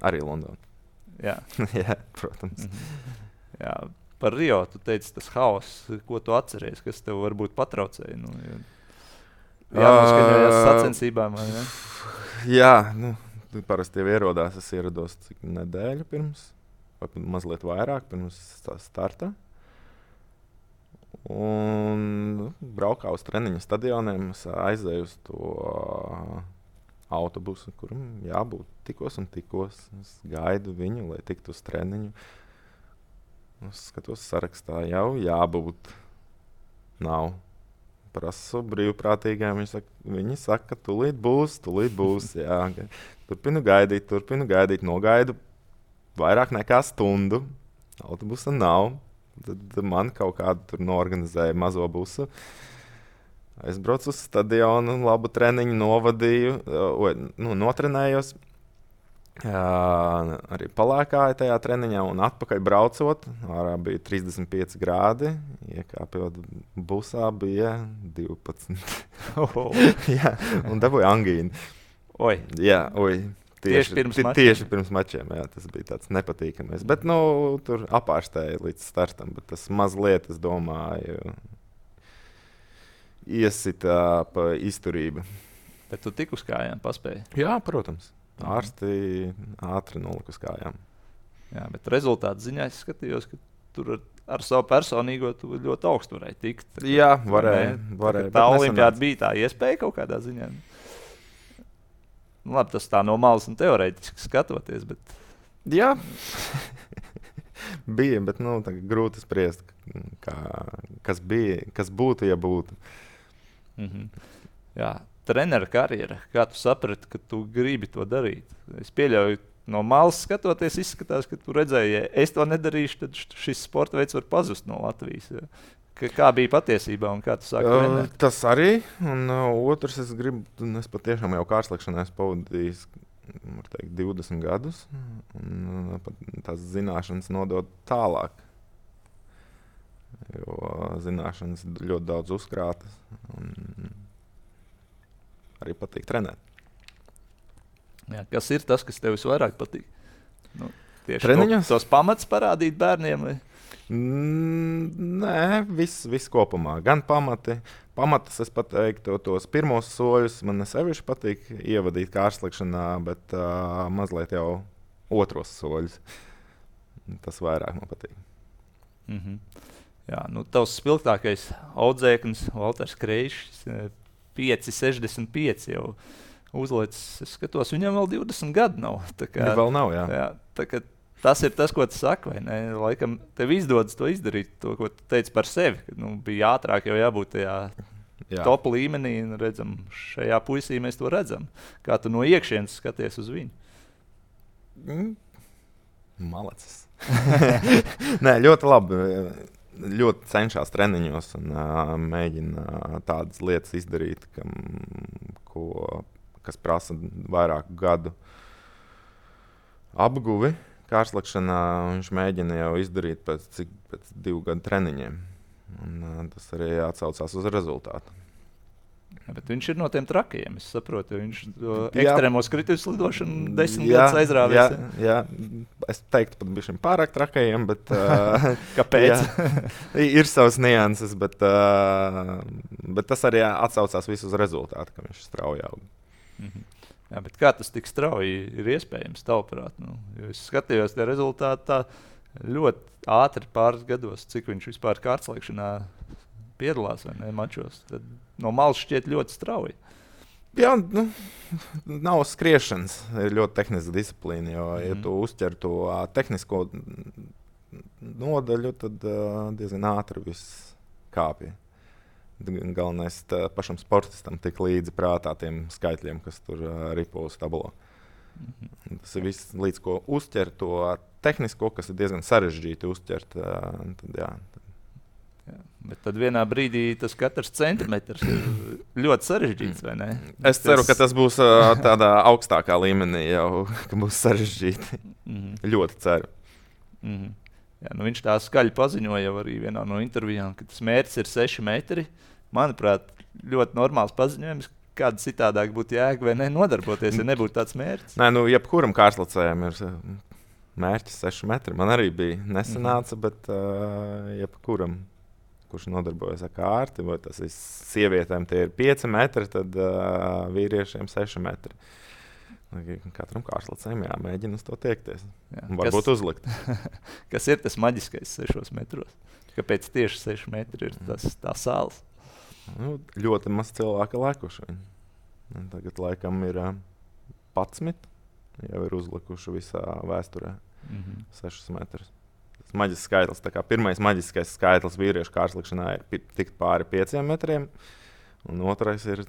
A: Arī Londona.
B: Jā.
A: Jā, protams.
B: Jā, par Rio tu teici tas haoss, ko tu atceries, kas tev varbūt patraucēja? Jānoskaņojas sacensībām, vai ne?
A: Jā, parasti jau ierodās, es ierados nedēļu pirms, vai mazliet vairāk pirms starta. Un braukā uz treniņu stadioniem, es aizēju uz to autobusu, kuram jābūt tikos un tikos. Es gaidu viņu, lai tiktu uz treniņu. Es skatos sarakstā, jau jābūt. Nav. Prasu brīvprātīgiem, viņi saka, tūlīt būs. Jā. Turpinu gaidīt, nogaidu vairāk nekā stundu. Autobusa nav. Tad man kaut kādu tur noorganizēja mazo busu. Es braucu uz stadionu, labu treniņu novadīju, notrenējos. Arī palēkāju tajā treniņā un atpakaļ braucot. Ārā bija 35 grādi, iekāpjot busā bija 12. Jā, un dabūju angīnu.
B: Oi.
A: Jā,
B: Tieši
A: pirms mačiem, jā, tas bija tāds nepatīkamais. Bet, tur apārstēja līdz startam, bet tas mazliet, es domāju, iesita pa izturību.
B: Bet tu tik uz kājām paspēji?
A: Jā, protams. Ārsti ātri nolika uz kājām.
B: Jā, bet rezultātu ziņā es skatījos, ka tur ar savu personīgo tu ļoti augstu varēji tikt.
A: Jā, varēja.
B: Tā olimpiāda bija tā iespēja kaut kādā ziņā. Labi, tas tā no malas un teorētiski skatoties, bet...
A: Jā, bija, bet grūti spriest, kas būtu, ja būtu.
B: Jā, trenera karjera, kā tu saprati, ka tu gribi to darīt? Es pieļauju, no malas skatoties, izskatās, ka tu redzēji, ja es to nedarīšu, tad šis sporta veids var pazust no Latvijas. Ja. Kā bija patiesībā un kā tu sāki trenēt? Tas
A: arī, un otrs, es patiešām jau kārtslēkšanā esmu pavadījis 20 gadus, un tās zināšanas nodot tālāk. Jo zināšanas ļoti daudz uzkrātas, un arī patīk trenēt.
B: Jā, kas ir tas, kas tev visvairāk patīk? Nu, tieši
A: Treniņos?
B: tos pamats parādīt bērniem? Vai?
A: Nē, viss kopumā. Gan pamatus es pateiktu, tos pirmos soļus man sevišķi patīk ievadīt kārslikšanā, bet mazliet jau otros soļus. Tas vairāk man patīk.
B: Jā, nu, tavs spilgtākais audzēknis, Valters Kreišs, 5,65 jau uzlicis. Es skatos, viņam vēl 20 gadu nav.
A: Viņa vēl nav, jā.
B: Tas ir tas, ko tu saki, vai ne? Laikam tev izdodas to izdarīt, to, ko tu teici par sevi. Kad, bija ātrāk jau jābūt tajā top līmenī, un redzam, šajā puisī mēs to redzam. Kā tu no iekšienes skaties uz viņu?
A: Malacis. Nē, ļoti labi. Ļoti cenšas treniņos un mēģina tādas lietas izdarīt, kas prasa vairāku gadu apguvi. Kārslikšanā viņš mēģina jau izdarīt pēc 2 gadu treniņiem. Un tas arī atsaucās uz rezultātu.
B: Ja, bet viņš ir no tiem trakiem. Es saprotu, viņš ekstrēmos kritus lidošanu 10 gadus aizrāvies.
A: Jā, es teiktu, pat bija pārāk trakajiem, bet
B: kāpēc?
A: Ir savas nianses, bet tas arī atsaucās visu uz rezultātu, ka viņš strauji aug.
B: Jā, bet kā tas tik strauji ir iespējams, tavuprāt? Es skatījos tie rezultāti tā ļoti ātri pāris gados, cik viņš vispār kārtslēkšanā piedalās vai ne mačos. Tad no malas šķiet ļoti strauji.
A: Jā, nav skriešanas. Ir ļoti tehniska disciplīna, jo, ja tu uzķer to tehnisko nodaļu, tad diezgan ātri viss kāpja. Galvenais pašam sportistam tik līdzi prātā tiem skaitļiem, kas tur ripo uz tablo. Tas ir viss, līdz ko uzķer to tehnisko, kas ir diezgan sarežģīti uzķert. Jā.
B: Bet tad vienā brīdī tas katrs centimetrs ir ļoti sarežģīts, vai ne?
A: Es ceru, ka tas būs tādā augstākā līmenī jau, ka būs sarežģīti. Ļoti ceru.
B: Jā, viņš tā skaļi paziņoja jau arī vienā no intervijām, ka tas mērķis ir 6 metri. Manuprāt, ļoti normāls paziņojums, kāda citādāk būtu jēga vai ne nodarboties, ja nebūtu tāds mērķis.
A: Nē, jebkuram kārslacējam ir mērķis 6 metri. Man arī bija nesanāca, bet jebkuram, kurš nodarbojas ar kārti, vai tas ir sievietēm, tie ir 5 metri, tad vīriešiem 6 metri. Katram kārslacējam jāmēģina uz to tiekties. Jā, varbūt uzlikt.
B: Kas ir tas maģiskais 6 metros? Kāpēc tieši 6 metri ir tā sāls?
A: Ļoti maz cilvēka lēkuši. Tagad laikam ir 11. Jau ir uzlikuši visā vēsturē 6 metrus. Tas maģisks skaitlis. Pirmais maģiskais skaitlis vīriešu kārslīkšanā ir tikt pāri 5 metriem, un otrais ir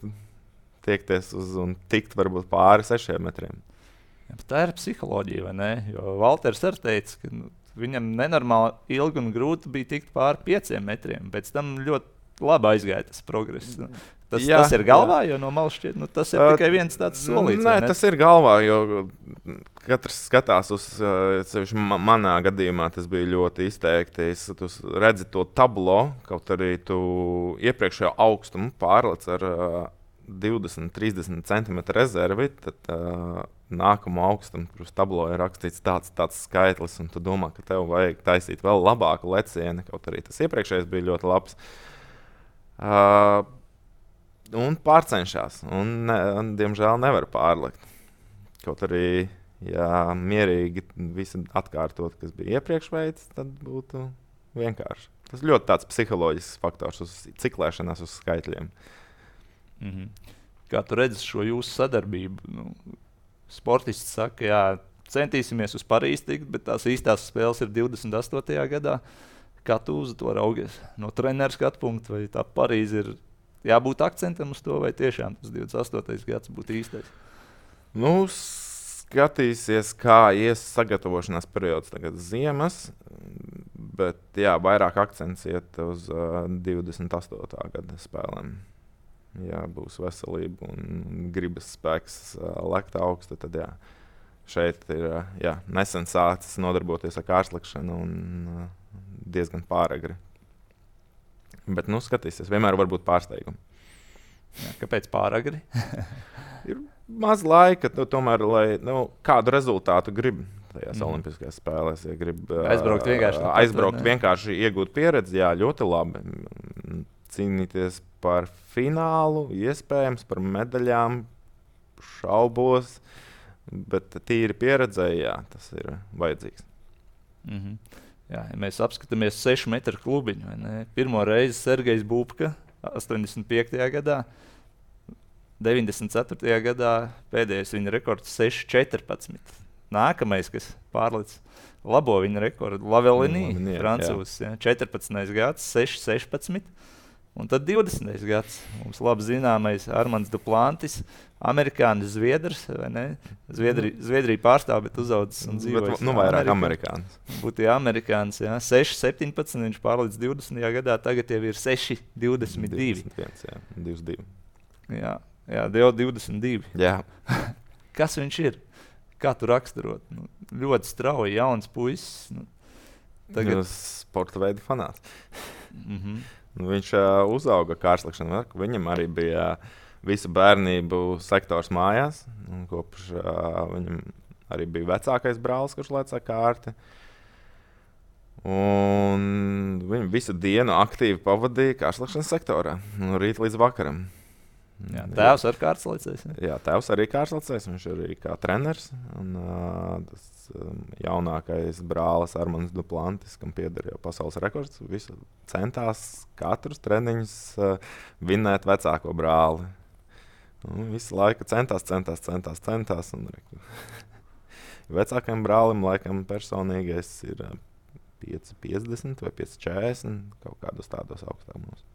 A: tiekties uz un tikt varbūt pāri 6 metriem.
B: Ja, tā ir psiholoģija, vai ne? Jo Valters arī teica, ka viņam nenormāli ilgi un grūti bija tikt pāri 5 metriem. Pēc tam ļoti labi aizgāja tas progress. Tas ir galvā, jo no malas šķiet, tas ir tikai viens tāds solīts.
A: Nē, tas ir galvā, jo katrs skatās uz, manā gadījumā tas bija ļoti izteikti. Tu redzi to tablo, kaut arī tu iepriekšējo augstumu pārlec ar 20-30 cm rezervi, tad nākamo augstumu uz tablo ir rakstīts tāds skaitlis, un tu domā, ka tev vajag taisīt vēl labāku lecieni, kaut arī tas iepriekšējais bija ļoti labs. Un pārcenšas, un diemžēl nevar pārlikt. Kaut arī, ja mierīgi visu atkārtot, kas bija iepriekš veids, tad būtu vienkārši. Tas ļoti tāds psiholoģisks faktors uz ciklēšanās uz skaitļiem.
B: Kā tu redzi šo jūsu sadarbību? Sportists saka, jā, centīsimies uz Parīzi tikt, bet tās īstās spēles ir 28. gadā. Kā tu uz to raugies? No treneru skatu punkta, vai tā Parīze ir jābūt akcentam uz to, vai tiešām tas 28. gads būtu īstais?
A: Skatīsies, kā ies sagatavošanās periods tagad ziemas, bet jā, vairāk akcents iet uz 28. gada spēlēm. Ja būs veselība un gribas spēks lekt augstu, tad jā. Šeit ir nesen sācis nodarboties ar kārslikšanu un diezgan pāragri. Bet skatīsies, vienmēr var būt pārsteigumi.
B: Jā, kāpēc pāragri?
A: maz laika, tomēr, lai kādu rezultātu grib tajās olimpiskajās spēlēs. Ja grib aizbraukt vienkārši iegūt pieredzi, jā, ļoti labi. Cīnīties par finālu, iespējams, par medaļām, šaubos, bet tīri pieredzēji, jā, tas ir vajadzīgs.
B: Jā, ja mēs apskatāmies 6 metru klubiņu, pirmo reizi Sergejs Bubka 85. gadā, 94. gadā pēdējais viņa rekords 6,14. Nākamais, kas pārlicis labo viņa rekordu, Lavelinī, francūzs, 14. gads, 6,16. Un tad 20. gads, mums labi zināmais Armands Duplantis, amerikānis zviedrs, vai ne? Zviedrija pārstāv, bet uzaudzis un dzīvojis.
A: Vairāk amerikānis.
B: Būtu amerikānis, 6,17, viņš pārlicis 20. gadā, tagad jau ir 6,22.
A: 22.
B: Jā, jau 22.
A: Jā.
B: Kas viņš ir? Kā tu raksturot? Ļoti strauji, jauns puisis.
A: Tagad sporta veidu fanāts. Viņš uzauga kārslekšanā. Viņam arī bija visu bērnību sektors mājās. Kopš viņam arī bija vecākais brālis, kurš lēca kārti. Un viņš visu dienu aktīvi pavadīja kārslekšanas sektorā. No rīta līdz vakaram.
B: Jā, tēvs ar kārtslecējs.
A: Jā, tēvs arī kārtslecējs. Viņš arī kā treneris. Un, tas jaunākais brālis Armands Duplantis, kam pieder jau pasaules rekords, visu centās katrus treniņus vinnēt vecāko brāli. Un visu laiku centās. Un vecākajam brālim laikam personīgais ir 5,50 vai 5,40, kaut kādos tādos augstākumos.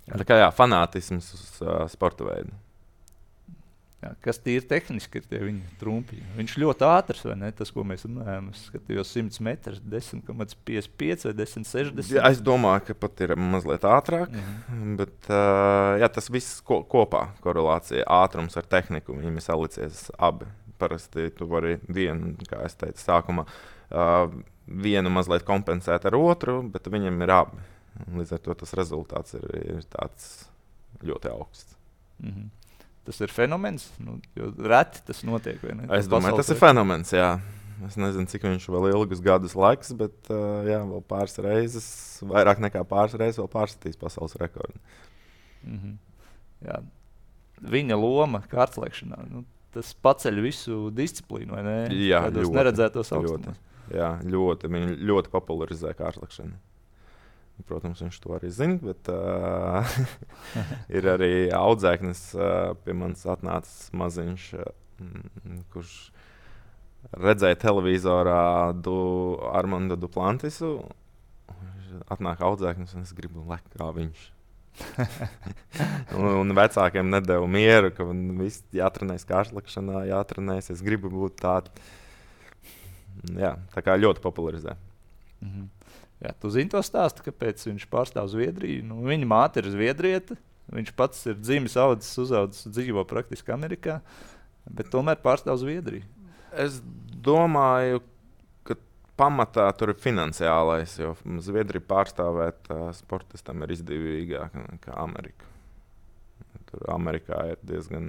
A: Tā kā fanātisms uz sporta veidu.
B: Jā, kas tīri tehniski ir tie viņa trumpi? Viņš ļoti ātrs, vai ne? Tas, ko mēs runājam, skatījos 100 metrus, 10,55 vai 10,60.
A: Jā, es domāju, ka pat ir mazliet ātrāk, bet tas viss kopā korelācija, ātrums ar tehniku, viņiem ir salicies abi. Parasti tu vari vienu, kā es teicu sākumā, vienu mazliet kompensēt ar otru, bet viņam ir abi. Līdz ar to tas rezultāts ir tāds ļoti augsts.
B: Tas ir fenomens, jo reti tas notiek.
A: Es domāju, tas ir fenomens, jā. Es nezinu, cik viņš vēl ilgus gadus laiks, bet vēl pāris reizes, vairāk nekā pāris reizes, vēl pārstatīs pasaules rekordu.
B: Jā. Viņa loma kārtslēkšanā, tas paceļ visu disciplīnu, vai ne?
A: Jā,
B: kādos neredzētos augstumos.
A: Jā, viņi ļoti popularizē kārtslēkšanu. Protams, viņš to arī zina, bet ir arī audzēknis pie manis atnācis maziņš, kurš redzēja televizorā Armandu Duplantisu. Atnāk audzēknis un es gribu lekt kā viņš. un vecākiem nedēļu mieru, ka viss jātrenēs kārtslekšanā, jātrenēs. Es gribu būt tādu. Jā, tā kā ļoti popularizē.
B: Jā, tu zini to stāstu, kāpēc viņš pārstāv Zviedriju. Viņa māte ir zviedriete, viņš pats ir dzimis, uzaudzis, dzīvo praktiski Amerikā, bet tomēr pārstāv Zviedriju.
A: Es domāju, ka pamatā tur ir finansiālais, jo Zviedriju pārstāvēt sportistam ir izdevīgāk nekā Amerika. Tur Amerikā ir diezgan,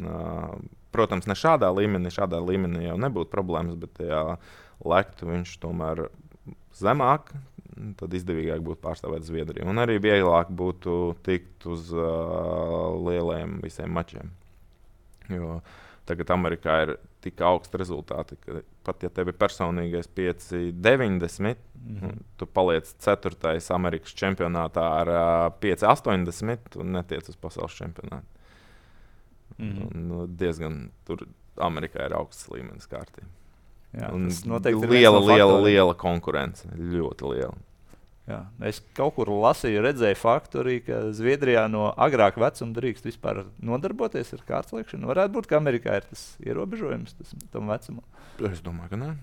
A: protams, ne šādā līmenī jau nebūtu problēmas, bet ja lektu viņš tomēr zemāk, tad izdevīgāk būtu pārstāvēt Zviedriju. Un arī vieglāk būtu tikt uz lieliem visiem mačiem. Jo tagad Amerikā ir tik augsti rezultāti, ka pat ja tev ir personīgais 5,90, tu paliec 4. Amerikas čempionātā ar 5,80 un netiec uz pasaules čempionātu. Diezgan tur Amerikā ir augsts līmenis kārtībā.
B: Jā,
A: liela konkurence, ļoti liela.
B: Jā, es kaut kur lasīju, redzēju faktu arī, ka Zviedrijā no agrāka vecuma drīkst vispār nodarboties ar kārtslēkšanu. Varētu būt, ka Amerikā ir tas ierobežojums tam vecumam.
A: Es domāju, ka nē.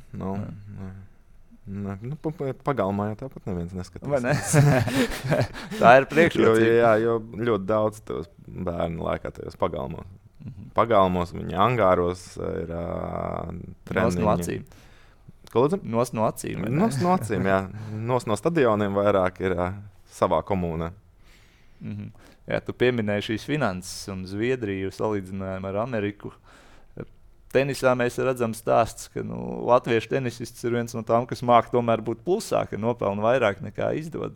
A: Pagalmā jau tāpat neviens neskatās.
B: Vai ne? Tā ir priekšrocība.
A: Jo ļoti daudz tos bērnu laikā tajos pagalmos. Pagalmos, viņa angāros ir treniņi.
B: Nos no acīm.
A: Nos no acīm, jā. Nos no stadioniem vairāk ir savā komunā.
B: Jā, tu pieminēji šīs finanses un Zviedriju salīdzinājumu ar Ameriku. Tenisā mēs redzam stāsts, ka latviešu tenisists ir viens no tām, kas māk tomēr būt plusā, ka nopelna vairāk nekā izdod.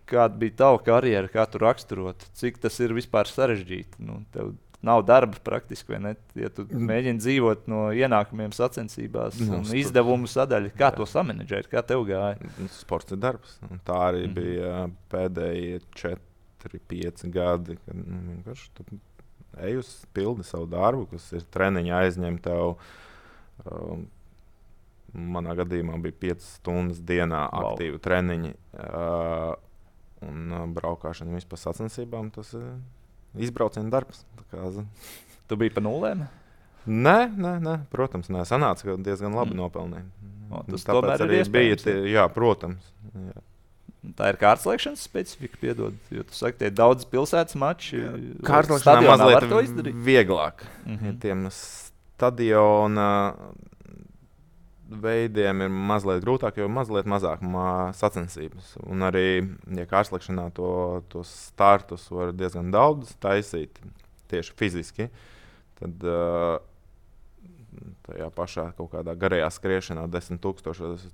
B: Kāda bija tava karjera, kā tu raksturot? Cik tas ir vispār sarežģīti? Tev nav darba praktiski, vai ne? Ja tu mēģini dzīvot no ienākumiem sacensībās un izdevumu sadaļa, kā to samanedžēt, kā tev gāja?
A: Sports ir darbs. Un tā arī bija pēdējie 4-5 gadi, kad vienkārši ej uz pildi savu darbu, kas ir treniņi aizņem tev. Manā gadījumā bija 5 stundas dienā aktīvi treniņi. Un braukšana vispār sacensībām, tas ir izbrauciena darbs.
B: Tu biji pa nulēm?
A: Nē, protams, nē. Sanāca, ka diezgan labi nopelnīja.
B: Tas tomēr arī
A: bija. Jā, protams. Jā.
B: Tā ir kārtslēkšanas specifika, piedod, jo tu saki, tie daudz pilsētas mači.
A: Kārtslēkšanā mazliet vieglāk. Tiem stadiona veidiem ir mazliet grūtāk, jo mazliet mazāk sacensības. Un arī, ja kārtslēkšanā tos startus var diezgan daudz taisīt, tieši fiziski, tad tajā pašā kaut kādā garajā skriešanā 10,000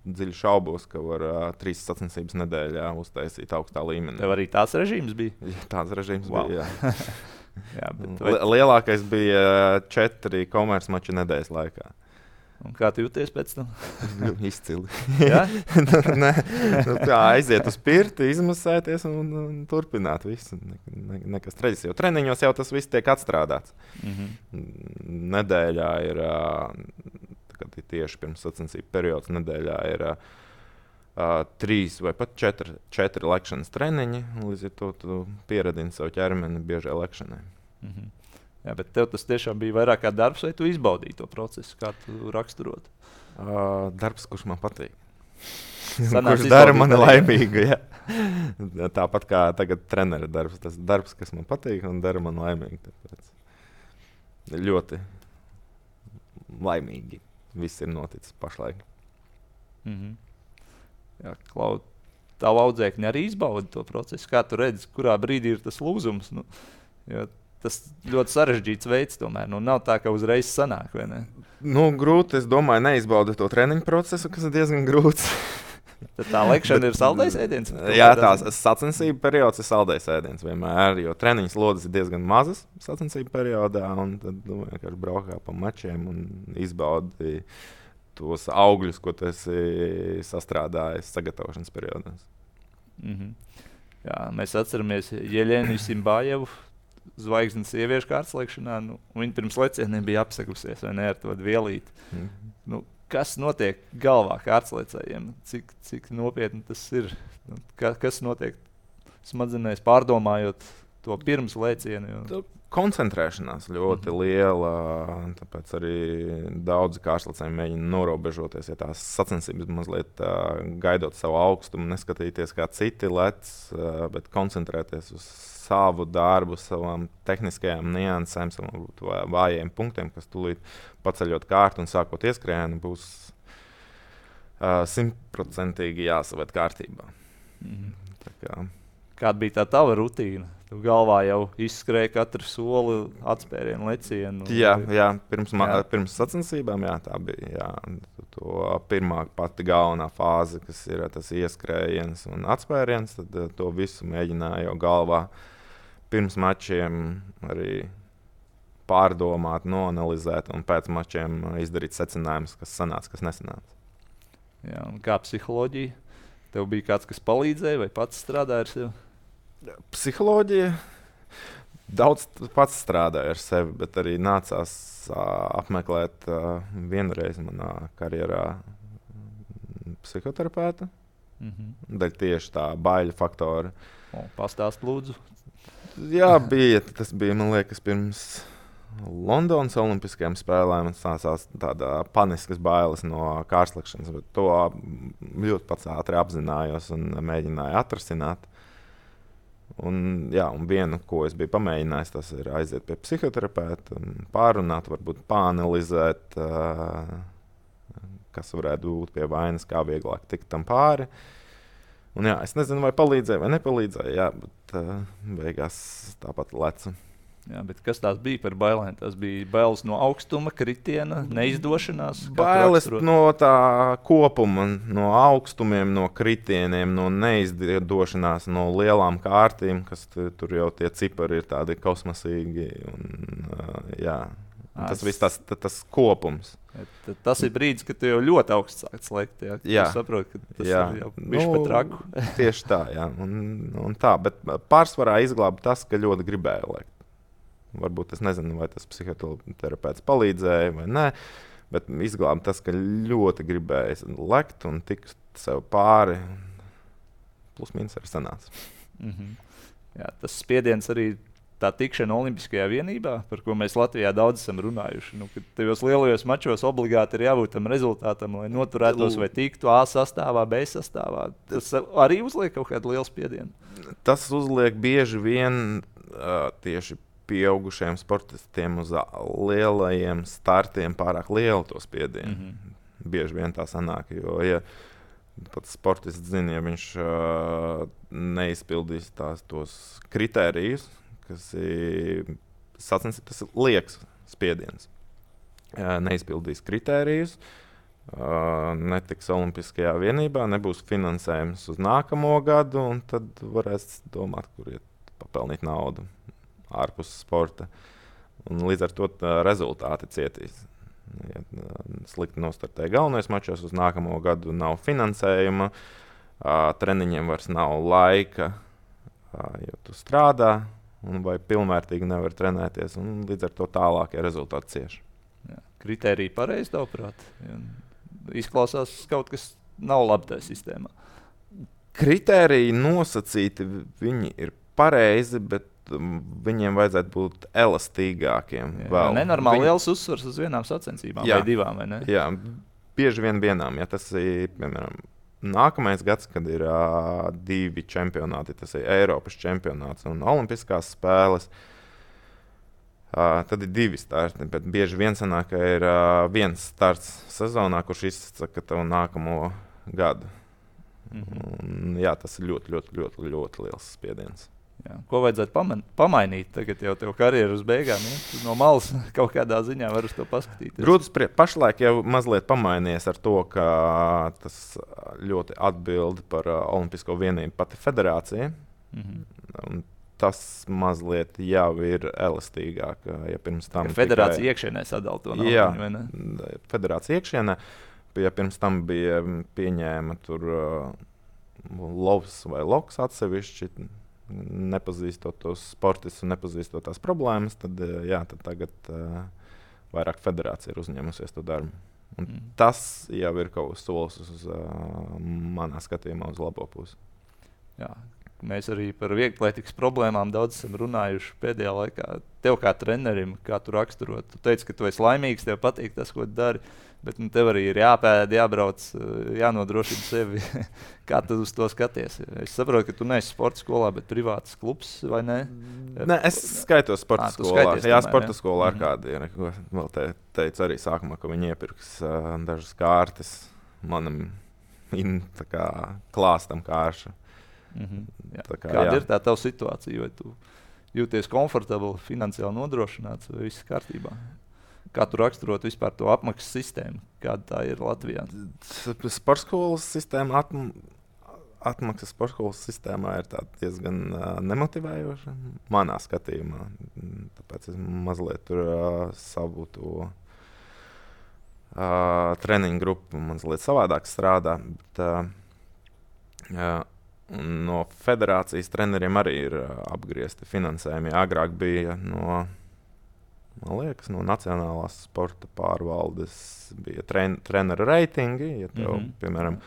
A: dziļi šaubos, ka var 3 sacensības nedēļā uztaisīt augstā līmenī.
B: Tev arī tāds režīms bija?
A: Jā, tāds režīms bija, jā.
B: Jā,
A: lielākais bija 4 komercmači nedēļas laikā.
B: Un kā tu jūties pēc tam?
A: Izcili.
B: Ja?
A: Tā aiziet uz pirti, izmasēties un turpināt visu. Nekas traģisks. Jo treniņos jau tas viss tiek atstrādāts. Nedēļā ir, kad ir tieši pirms sacensību periods, nedēļā ir 3 vai pat 4 lekšanas treniņi. Līdz ar to tu pieradini savu ķermeni biežai lekšanai.
B: Jā, bet tev tas tiešām bija vairāk kā darbs, vai tu izbaudīji to procesu, kā tu raksturot?
A: Darbs, kurš man patīk.
B: Kurš
A: dara mani laimīgu. Jā. Tāpat kā tagad trenera darbs. Tas darbs, kas man patīk un dara mani laimīgu. Tāpēc ļoti laimīgi viss ir noticis pašlaik.
B: Jā, Klau, tavu audzēkņi arī izbauda to procesu. Kā tu redzi, kurā brīdī ir tas lūzums? Jo tas ļoti sarežģīts veids tomēr. Nav tā, ka uzreiz sanāk, vai ne?
A: Grūti, es domāju, neizbaudīt to treniņu procesu, kas ir diezgan grūts.
B: Tad tā lekšana ir saldējs ēdiens?
A: Jā, tās sacensību periods ir saldējs ēdiens vienmēr, jo treniņas lodes ir diezgan mazas sacensību periodā, un tad vienkārši braukā pa mačiem un izbaudi tos augļus, ko tu esi sastrādājis sagatavošanas periodos.
B: Jā, mēs atceramies Jeļenu Simbājevu, zvaigznes sieviešu kārtslēkšanā. Viņa pirms lecieniem bija apsegusies, vai ne, ar to vielīti. Kas notiek galvā kārtslēcējiem? Cik nopietni tas ir? Kas notiek smadzenēs pārdomājot to pirms lēcienu?
A: Koncentrēšanās ļoti liela, tāpēc arī daudzi kārtslēcēji mēģina norobežoties, ja tās sacensības mazliet gaidot savu augstumu, neskatīties kā citi lec, bet koncentrēties uz savu darbu, savām tehniskajām niansēm, savām vājiem punktiem, kas tūlīt paceļot kārtu un sākot ieskrējienu, būs 100% jāsaved kārtībā.
B: Kāda bija tā tava rutīna? Tu galvā jau izskrēja katru soli, atspērienu, lecienu.
A: Jā, pirms sacensībām, jā, tā bija. Jā. To pirmā pati galvenā fāze, kas ir tas ieskrējiens un atspēriens, tad to visu mēģināju jau galvā pirms mačiem arī pārdomāt, noanalizēt un pēc mačiem izdarīt secinājumus, kas sanāca, kas nesanāca.
B: Jā, un kā psiholoģija? Tev bija kāds, kas palīdzēja vai pats strādāja ar sevi?
A: Psiholoģija daudz pats strādāja ar sevi, bet arī nācās apmeklēt vienreiz manā karjerā psihoterapeitu. Daļai tieši tā baiļu faktora.
B: Pastāst lūdzu.
A: Jā, tas bija, man liekas, pirms Londonas Olimpiskajām spēlēm. Man sākās tāda paniskas bailes no kārtslēkšanas, bet to ļoti pats ātri apzinājos un mēģināju atrasināt. Un viena, ko es biju pamēģinājis, tas ir aiziet pie psihoterapeita, pārunāt, varbūt pāanalizēt, kas varētu būt pie vainas, kā vieglāk tikt tam pāri. Un jā, es nezinu, vai palīdzēja vai nepalīdzēja, jā, bet beigās tāpat lecu.
B: Jā, bet kas tās bija par bailēm? Tas bija bailes no augstuma, kritiena, neizdošanās?
A: Bailes no tā kopuma, no augstumiem, no kritieniem, no neizdošanās, no lielām kārtīm, kas tur jau tie cipari ir tādi kosmosīgi. Un, jā, tas viss tas kopums.
B: Tas ir brīdis, kad tu jau ļoti augsts sāc lekt. Jā, tu saproti, ka tas ir jau bišķi pat raku.
A: Tieši tā, jā. Un tā, bet pārsvarā izglāba tas, ka ļoti gribēju lekt. Varbūt es nezinu, vai tas psihoterapeits palīdzēja vai nē, bet izglāba tas, ka ļoti gribēju lekt un tikt sev pāri. Plus mīnus arī sanāca.
B: Jā, tas spiediens arī tā tikšana Olimpiskajā vienībā, par ko mēs Latvijā daudz esam runājuši. Kad tajos lielajos mačos obligāti ir jābūt tam rezultātam, lai noturētos vai tiktu A sastāvā, B sastāvā. Tas arī uzliek kaut kādu lielu spiedienu.
A: Tas uzliek bieži vien tieši pieaugušiem sportistiem uz lielajiem startiem pārāk lielu to spiedienu. Bieži vien tā sanāk, jo ja pats sportists zina, ja viņš neizpildīs tos kritērijus, kas ir sacensības, tas ir lieks spiediens. Neizpildīs kritērijus, netiks Olimpiskajā vienībā, nebūs finansējums uz nākamo gadu, un tad varēs domāt, kur iet papelnīt naudu ārpus sporta. Un līdz ar to rezultāti cietīs. Ja slikti nostartē galvenais mačos, uz nākamo gadu nav finansējuma, treniņiem vairs nav laika, jo tu strādā, vai pilnvērtīgi nevar trenēties, un līdz ar to tālākie rezultāti cieši.
B: Kritērija pareizi, tavuprāt? Izklausās kaut kas nav labi tajā sistēmā.
A: Kritēriji nosacīti, viņi ir pareizi, bet viņiem vajadzētu būt elastīgākiem.
B: Nenormāli liels uzsvars uz vienām sacensībām vai divām, vai ne?
A: Jā, bieži vien vienām. Ja tas ir, piemēram, nākamais gads, kad ir 2 čempionāti, tas ir Eiropas čempionāts un Olimpiskās spēles, tad ir 2 starti. Bet bieži vien sanāk, ka ir viens starts sezonā, kurš izsaka tavu nākamo gadu. Un, jā, tas ir ļoti, ļoti, ļoti, ļoti liels spiediens.
B: Jā. Ko vajadzētu pamainīt? Tagad jau tev karjeras beigām, ja? No malas kaut kādā ziņā var uz to paskatīties.
A: Grūti pašlaik jau mazliet pamainījies ar to, ka tas ļoti atbild par Olimpisko vienību pati federācija. Un tas mazliet jau ir elastīgāk. Ja pirms tam
B: federācija iekšienē sadala to naudu, vai ne?
A: Federācija iekšienē. Ja pirms tam bija pieņēma tur lovs vai loks atsevišķi, nepazīstot tos sportistus un nepazīstot tās problēmas, tad tagad vairāk federācija ir uzņēmusies to darbu. Un tas jau ir kaut kas solis uz manā skatījumā uz labo pusi.
B: Jā. Mēs arī par vieglatlētikas problēmām daudz esam runājuši pēdējā laikā. Tev kā trenerim, kā tu raksturot, tu teici, ka tu esi laimīgs, tev patīk tas, ko tu dari, bet tev arī ir jāpēd, jābrauc, jānodrošina sevi. Kā tu uz to skaties? Es saprotu, ka tu neesi sporta skolā, bet privāts klubs, vai ne?
A: Nē, es skaitos sporta skolā. Jā, sporta skolā ar kādu ir. Vēl teicu arī sākumā, ka viņi iepirks dažas kārtas manam klāstam kāršu.
B: Kāda ir tā tava situācija? Vai tu jūties komfortabli, finansiāli nodrošināts, vai viss kārtībā? Kā tu raksturot vispār to apmaksas sistēmu? Kāda tā ir Latvijā?
A: Sportskolas sistēma, atmaksas sportskolas sistēmā ir diezgan nemotivējoša manā skatījumā. Tāpēc es mazliet tur savu to treniņu grupu mazliet savādāk strādā. Bet, no federācijas treneriem arī ir apgriezti finansējumi. Agrāk bija no Nacionālās sporta pārvaldes bija treneru reitingi. Ja tev, piemēram,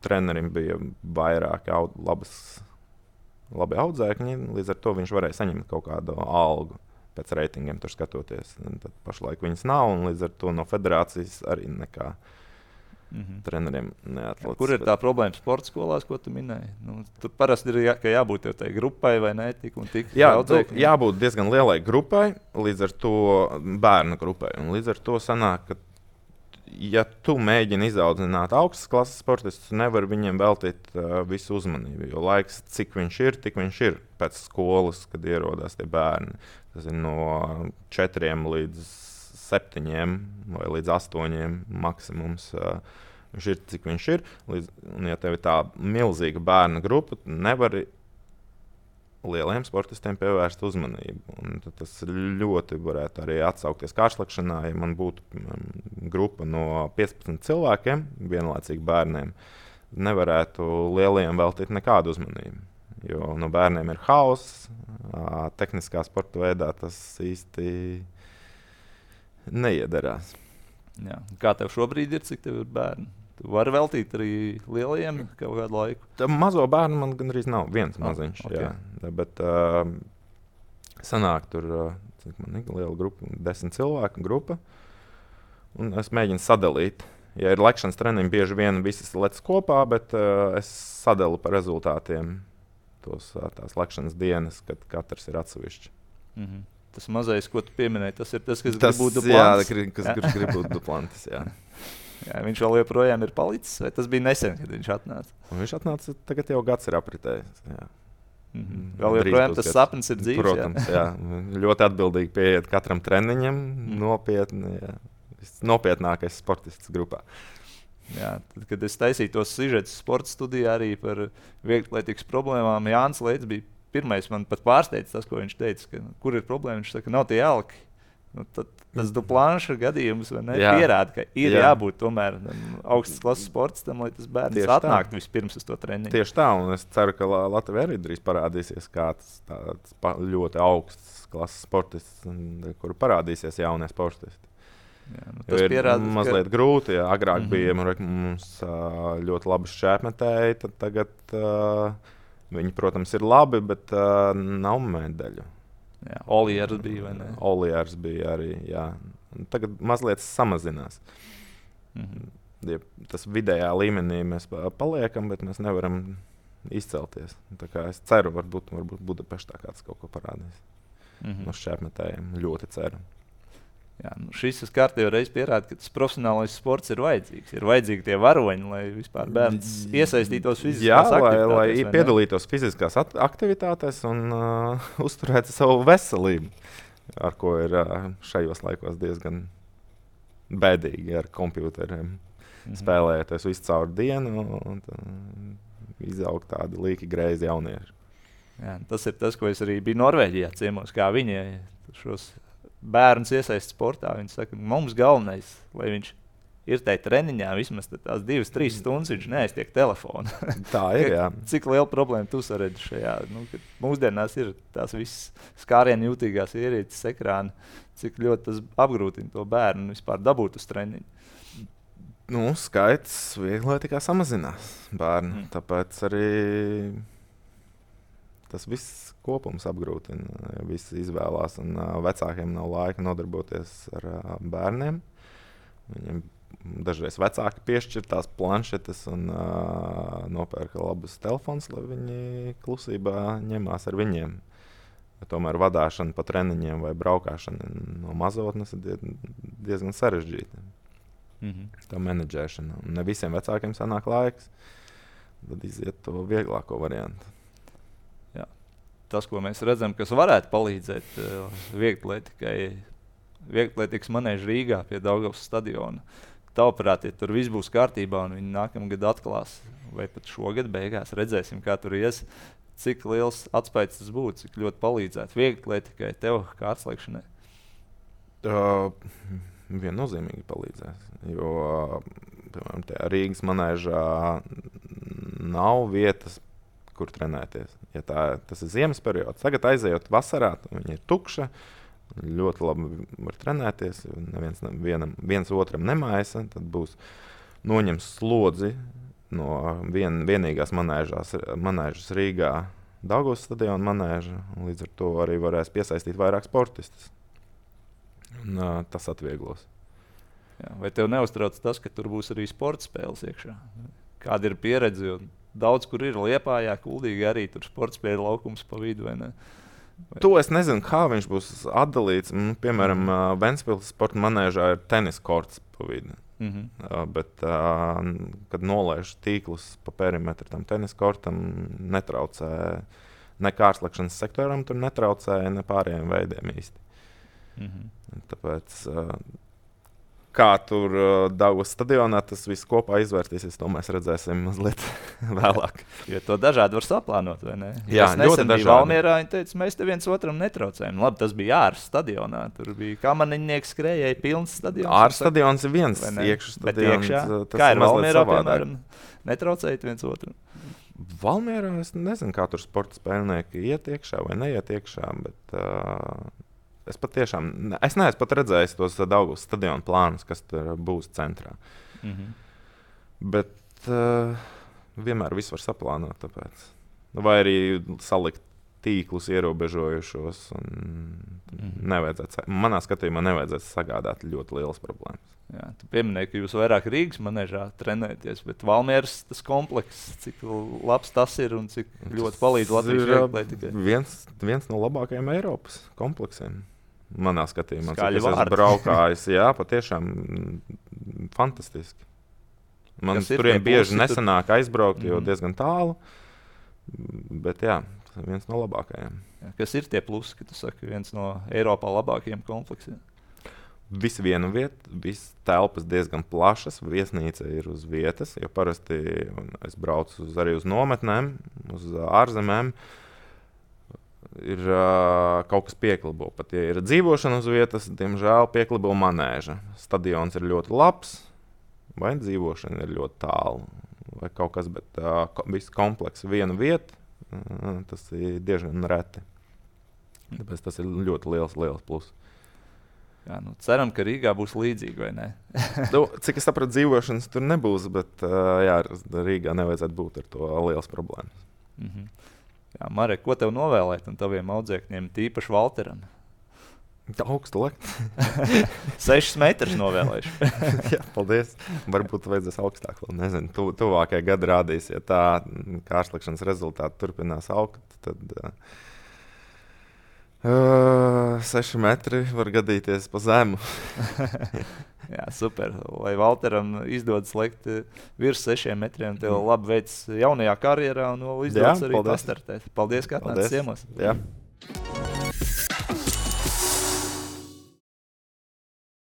A: trenerim bija vairāk labi audzēkņi, līdz ar to viņš varēja saņemt kaut kādu algu pēc reitingiem tur skatoties. Tad pašlaik viņas nav, un līdz ar to no federācijas arī nekā. Treneriem neatlicis.
B: Kur ir tā problēma sporta skolās, ko tu minēji? Tur parasti ir jābūt jau tai grupai vai ne, tik un tik.
A: Jābūt diezgan lielai grupai, līdz ar to bērnu grupai. Un līdz ar to sanāk, ka ja tu mēģini izaudzināt augstas klases sportistus, tu nevari viņiem veltīt visu uzmanību. Jo laiks, cik viņš ir, tik viņš ir pēc skolas, kad ierodās tie bērni. Tas ir no 4 līdz 7 vai līdz 8 maksimums. Viņš ir, cik viņš ir. Un, ja tev ir tā milzīga bērna grupa, tu nevari lieliem sportistiem pievērst uzmanību. Un tas ļoti varētu arī atsaukties kārslekšanā, ja man būtu grupa no 15 cilvēkiem, vienlaicīgi bērniem, nevarētu lieliem veltīt nekādu uzmanību. Jo no bērniem ir hauss, tehniskā sporta veidā tas īsti neiederās.
B: Jā. Kā tev šobrīd ir, cik tev ir bērni? Tu vari veltīt arī lielajiem kaut kādu laiku?
A: Tā mazo bērnu man gandrīz nav, viens maziņš.
B: Okay.
A: Jā. Bet sanāk tur man ir liela grupa, 10 cilvēku grupa. Un es mēģinu sadalīt. Ja ir lekšanas treniņi, bieži vien visas lec kopā, bet es sadalu par rezultātiem tās lekšanas dienas, kad katrs ir atsevišķi.
B: Mhm. Tas mazais, ko tu pieminēji, tas ir tas, kas grib būt Duplantis.
A: Jā, kas grib būt Duplantis, jā.
B: Jā, viņš vēl joprojām ir palicis, vai tas bija nesen, kad viņš atnāca?
A: Un viņš atnāca, tagad jau gads ir apritējis. Jā.
B: Vēl joprojām tas sapnis ir dzīves.
A: Protams, jā. Ļoti atbildīgi pieiet katram treniņam, nopietni. Jā. Nopietnākais sportists grupā.
B: Jā, tad, kad es taisīju tos sižetus sporta studijā arī par vieglatlētikas problēmām, Jānis Leits bija pirmais, man pat pārsteidz tas, ko viņš teica, ka, kur ir problēma. Viņš saka, nav tie jalki. Nu, tas Duplanša gadījums pierāda, ka ir jābūt tomēr augstas klases sportistam, lai tas bērns atnāktu vispirms uz to treniņu.
A: Tieši tā, un es ceru, ka Latvijā arī drīz parādīsies kāds tāds ļoti augsts klases sportists, kur parādīsies jaunie sportisti.
B: Jā, tas pierāda,
A: mazliet grūti. Jā. Agrāk bija mums ļoti labi šķēpmetēji, tad tagad viņi, protams, ir labi, bet nav medaļu.
B: Olijārs bija, vai ne?
A: Olijārs bija arī, jā. Tagad mazliet samazinās. Ja tas vidējā līmenī mēs paliekam, bet mēs nevaram izcelties. Tā kā es ceru, varbūt Budapeštā kāds kaut ko parādīs. No šķēpmetējiem ļoti ceru.
B: Jā, šis kārtībā reiz pierāda, ka tas profesionālais sports ir vajadzīgs. Ir vajadzīgi tie varoņi, lai vispār bērns iesaistītos fiziskās aktivitātēs.
A: Lai piedalītos fiziskās aktivitātēs un uzturētu savu veselību, ar ko ir šajos laikos diezgan bēdīgi ar kompjuteriem. Spēlējoties visu caur dienu un izaug tādi līki greizi jaunieši.
B: Jā, tas ir tas, ko es arī biju Norvēģijā ciemos, kā viņi šos bērns iesaist sportā. Viņi saka, mums galvenais, lai viņš ir tajā treniņā, vismaz tās 2-3 stundas viņš neaiztiek telefonu.
A: Tā ir, jā.
B: Cik liela problēma tu saredzi šajā? Mūsdienās ir tās visas skārienu jūtīgās ierīces ekrāni, cik ļoti tas apgrūtina to bērnu vispār dabūt uz treniņu.
A: Skaits vieglatlētikā samazinās bērnu, tāpēc arī tas viss kopums apgrūtina. Ja visi izvēlās, un vecākiem nav laika nodarboties ar bērniem. Viņiem dažreiz vecāki piešķir tās planšetes un nopērka labus telefons, lai viņi klusībā ņemās ar viņiem. Ja tomēr vadāšana pa treniņiem vai braukšana no mazotnes ir diezgan sarežģīta. Tā menedžēšana. Un ne visiem vecākiem sanāk laiks, tad iziet to vieglāko variantu.
B: Tas, ko mēs redzam, kas varētu palīdzēt vieglatlētikas manēža Rīgā pie Daugavas stadiona. Tavuprāt, ja tur viss būs kārtībā un viņi nākamgad atklās, vai pat šogad beigās redzēsim, kā tur ies, cik liels atspējas tas būtu, cik ļoti palīdzētu vieglatlētikai, tev kā atslēgšanai?
A: Viennozīmīgi palīdzēs, jo piemēram, Rīgas manēžā nav vietas, kur trenēties. Ja tas ir ziemas periods, tagad aizejot vasarā, viņa ir tukša, ļoti labi var trenēties, viens otram nemaisa, tad būs noņems slodzi no vienīgās manēžas Rīgā, Daugavas stadiona manēža, un līdz ar to arī varēs piesaistīt vairāk sportistus. Un tas atvieglos.
B: Jā, vai tev neuztrauc tas, ka tur būs arī sporta spēles iekšā? Kāda ir pieredze? Daudz, kur ir Liepājā, Kuldīgi arī tur sporta spēļu laukums pa vidu, vai ne?
A: To es nezinu, kā viņš būs atdalīts. Piemēram, Ventspils sporta manēžā ir tenis korts pa vidu. Bet, kad nolaiž tīklus pa perimetru tam tenisa kortam, netraucē ne kārslekšanas sektoram, tur netraucēja ne pārējiem veidiem īsti. Tāpēc, kā tur Daugavas stadionā tas viss kopā izvērtīsies, to mēs redzēsim mazliet vēlāk.
B: Jo to dažādi var saplānot, vai ne?
A: Jā, ļoti dažādi.
B: Valmierā viņi teica, mēs te viens otram netraucējam. Labi, tas bija ārs stadionā. Tur bija kamaniņnieks skrējēji, pilns stadions.
A: Ārs stadions ir viens, iekšā stadions.
B: Kā ir Valmierā, piemēram, netraucējot viens otru?
A: Valmierā es nezinu, kā tur sporta spēlnieki iet iekšā vai neiet iekšā, bet... Es neesmu pat redzējis tos Daugavas stadionu plānus, kas tur būs centrā. Bet vienmēr viss var saplānot. Tāpēc. Vai arī salikt tīklus ierobežojušos. Manā skatījumā nevajadzētu sagādāt ļoti lielas problēmas.
B: Jā, tu pieminēji, ka jūs vairāk Rīgas manežā trenēties, bet Valmieras tas komplekss, cik labs tas ir un cik ļoti palīdz Latvijas vieglietībai.
A: Viens no labākajiem Eiropas kompleksiem. Manā skatījumā,
B: Skaļi
A: cik es esmu braukājis, jā, patiešām fantastiski. Man turien bieži nesanāk aizbraukt, jo diezgan tālu, bet jā, tas ir viens no labākajiem.
B: Jā, kas ir tie plusi, ka tu saki, viens no Eiropā labākajiem kompleksiem?
A: Viss viena vieta, viss telpas diezgan plašas, viesnīca ir uz vietas, jo parasti es braucu arī uz nometnēm, uz ārzemēm. Ir kaut kas pieklibo. Pat ja ir dzīvošana uz vietas, diemžēl pieklibo manēža. Stadions ir ļoti labs, vai dzīvošana ir ļoti tālu, vai kaut kas, bet viss komplekss viena vieta, tas ir diezgan reti. Tāpēc tas ir ļoti liels plus.
B: Jā, ceram, ka Rīgā būs līdzīgi, vai ne?
A: Cik es sapratu, dzīvošanas tur nebūs, bet jā, Rīgā nevajadzētu būt ar to liels problēmas.
B: Jā, Marek, ko tev novēlēt un taviem audzēkņiem, tīpaši Valteram?
A: Augstu lekt.
B: 6 metrus novēlēšu.
A: Jā, paldies. Varbūt vajadzēs augstāk vēl, nezinu. Tuvākajā gada rādīs, ja tā kārslekšanas rezultāti turpinās augt, tad 6 metri var gadīties pa zemu.
B: Jā, super. Lai Valteram izdodas lekt virs 6 metriem, tev labi veids jaunajā karjerā un vēl izdodas arī pastartēt. Paldies, ka atnāc ciemos.
A: Jā.